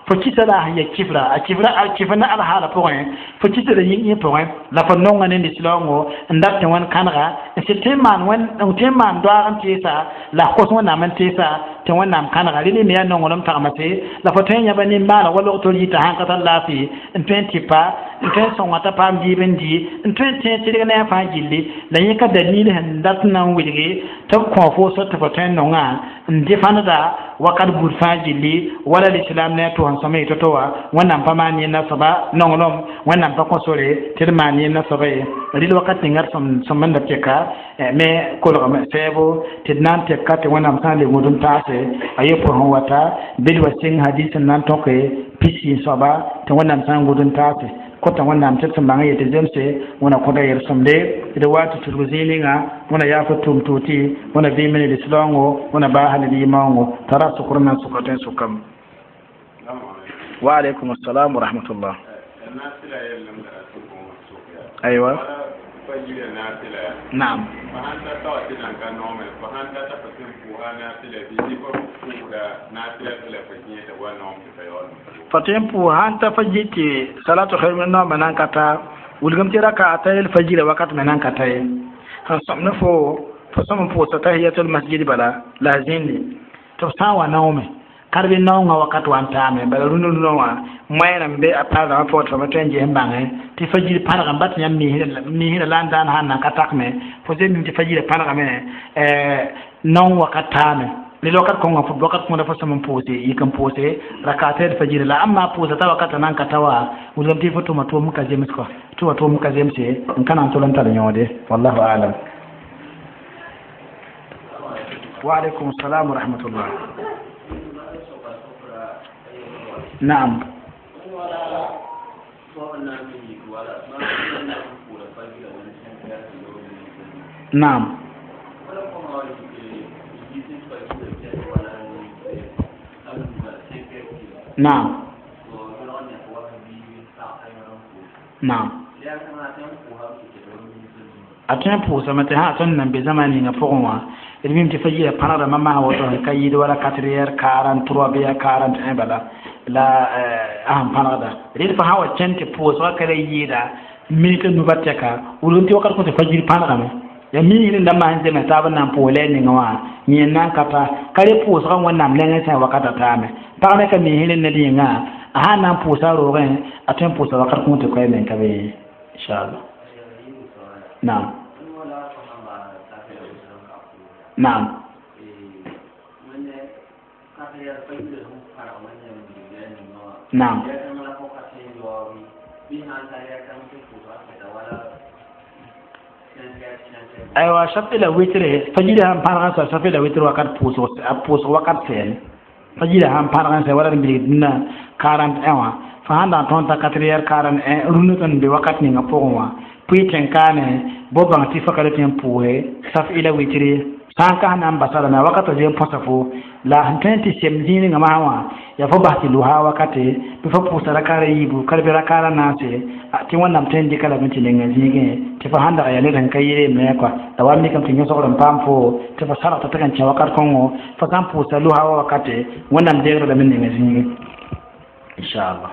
fo kisa la sẽn ya kifra a kifra a kifr na alhaala pʋgẽ fo kisda yĩng pʋgẽ la fo nonga ne lislaoongo n dat tɩ wẽnd kãnega n sɩd tõe n maan wẽnd n tõe n maan doaag n teesa la f kos Wẽnnaam n teesa tɩ Wẽnnaam kãnega rel me yaa nonglem tagmase la fo tõe n yãba nin-maaneg wa log tol yita sãn ka tar laafɩ n tõe n tɩpa n tõe n sõnga t'a paam dɩɩb n dɩ n tõe n tẽeg tɩrg ne a fãa gilli la yẽ ka dalil sẽn dat n na n wilge tɩ b kõ fo so tɩ fo tõe n nongã n defãndda wakat buud fãa gilli wala lislam ne a tʋʋs n sõma y to-to wã Wẽnnaam pa maan yẽnda soaba nonglem Wẽnnaam pa kõ sore tɩ d maan yẽnda soaba ye rɩl wakat ninga d sõm n da tɛka me kolgame sɛɛbo tɩ d na n tɛka tɩ Wẽnnaam sã n le gũud n taase a ye pʋsẽ wata bɩd wa sɩng hadis n na n tõke pisi soaba tɩ Wẽnnaam sã n gũud n taase kota Wẽnnaam tɩ d sẽn bãng yetɩ zemse Wẽna kõta yel-sõmde d wa tɩ tudg zĩig ninga Wẽna yaa fo tʋʋm tʋʋtɩ Wẽna vɩɩm ne lislaoongo Wẽna baa ne limaoongo t'a ra sʋkr na n sʋka tõe n sʋkame. Wa alaikum assalam wa rahmatullah. Aywa, naam. Fa tõe n pʋʋs sãn ta fa yɩ tɩ salatu khair min naoomã na n ka ta wilgem tɩ raka a ta yel fajira wakat me na n ka ta ye sẽn sõm ne fo fo sõm n pʋʋsa tahiyatul masjid bala la a zĩndi tɩ b sã n wa naoome karb naoongã wakat wa n taame bala rũndã rũndã wã moɛɛr n be a paasdãmbã pʋgẽ tɩ fo me tõe n ges n bãngẽ tɩ fajir pãnegame ba tɩ yãmb misrã la n daan sãn na n ka takme fo zemim tɩ fajirã pãnegame naoong wakat taame rel wakat kõnga fo wakat kõnda fo sõm n pʋʋse yik n pʋʋse rakata d fajira la amma pʋʋsa t'a wakata na n ka ta wa wilgame tɩ fo tʋma tʋʋm ka zems kɔ tɩ wa tʋʋm ka zemse n ka na n tol n tar yõode wallahu alam. Wa alaikum assalam wa rahmatullah. Naam. Naam. Naam, naam, a tõe n pʋʋsame tɩ sã tõnd nan be zãma ninga pʋgẽ wã, d mim tɩ fa yɩɩda pãnegdãmbã maa woto sẽn ka yɩɩd wala 4 heures 43 bɩ ya 41 bala la a sẽn pãnegda. Red fo sã wa kẽnd tɩ pʋʋsgã ka la yɩɩda minit a nuba tɛka wilg tɩ wakat kõ tɩ fajir pãnegame ya miisd n da maan zems taab n na n pʋʋs la y ninga wã yẽ n na n ka ta ka re pʋʋsgã Wẽnnaam nengẽ sã wakata taame. Pag me ka miisd ned yĩnga, a sã n na n pʋʋsa roogẽ, a tõe n pʋʋsa wakat kõ tɩ koɛɛ meng ka be, inchallah. Naam, naam. Naam. Aywa, shafi la witre, fajiri sãn pãneg n sa shafi la witr wakat pʋʋsg, a pʋʋsg wakat sɛɛne fajiri sãn pãneg n sɛ wala d bilg dũnna 41 wã, fo sãn da n tõnd t'a 4 heures 41 rũndã tõnd be wakat ninga pʋgẽ wã, pʋɩ tẽn-kaane bo bãng tɩ fa ka tɩ n pʋʋse saf ila witr sã n kas na n basa rãmba wakatã zoe n põsa fo la sẽn tõe n tɩ sem zĩig ninga masã wã yaa fo bas tɩ losa wakate bɩ fo pʋʋsa rakaara yiibu ka bɩ rakaara naase tɩ Wẽnnaam tõe n dɩka lame tɩ nenga zĩigẽ tɩ fo sãn dag yaa ned sẽn ka yɩɩre me kɔa la wa mikame tɩ yõsgr n paam fo tɩ fo sargta tɩ n kẽ wakat kõngo fo sã n pʋʋsa losa wa wakate Wẽnnaam deegr lame nenga zĩigẽ, inchallah.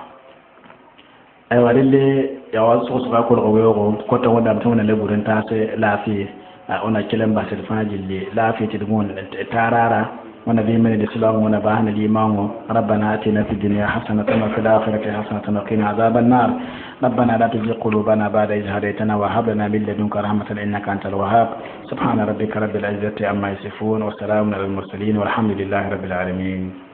Aywa, relle yaa wa sʋgsga kolg weoogo kota Wẽnnaam tɩ wẽnna la bur n taas laafɩ ona kelem basd fãa gilli laafɩ tɩ d gõon taaraara wẽnna vɩɩm ne lislaam wẽna baasne limaango. ربنا آتنا في الدنيا حسنة وفي الآخرة حسنة وقنا عذاب النار. ربنا لا تزغ قلوبنا بعد إذ هديتنا وهب لنا من لدنك رحمة إنك أنت الوهاب. سبحان ربك رب العزة عما يصفون وسلام على المرسلين والحمد لله رب العالمين.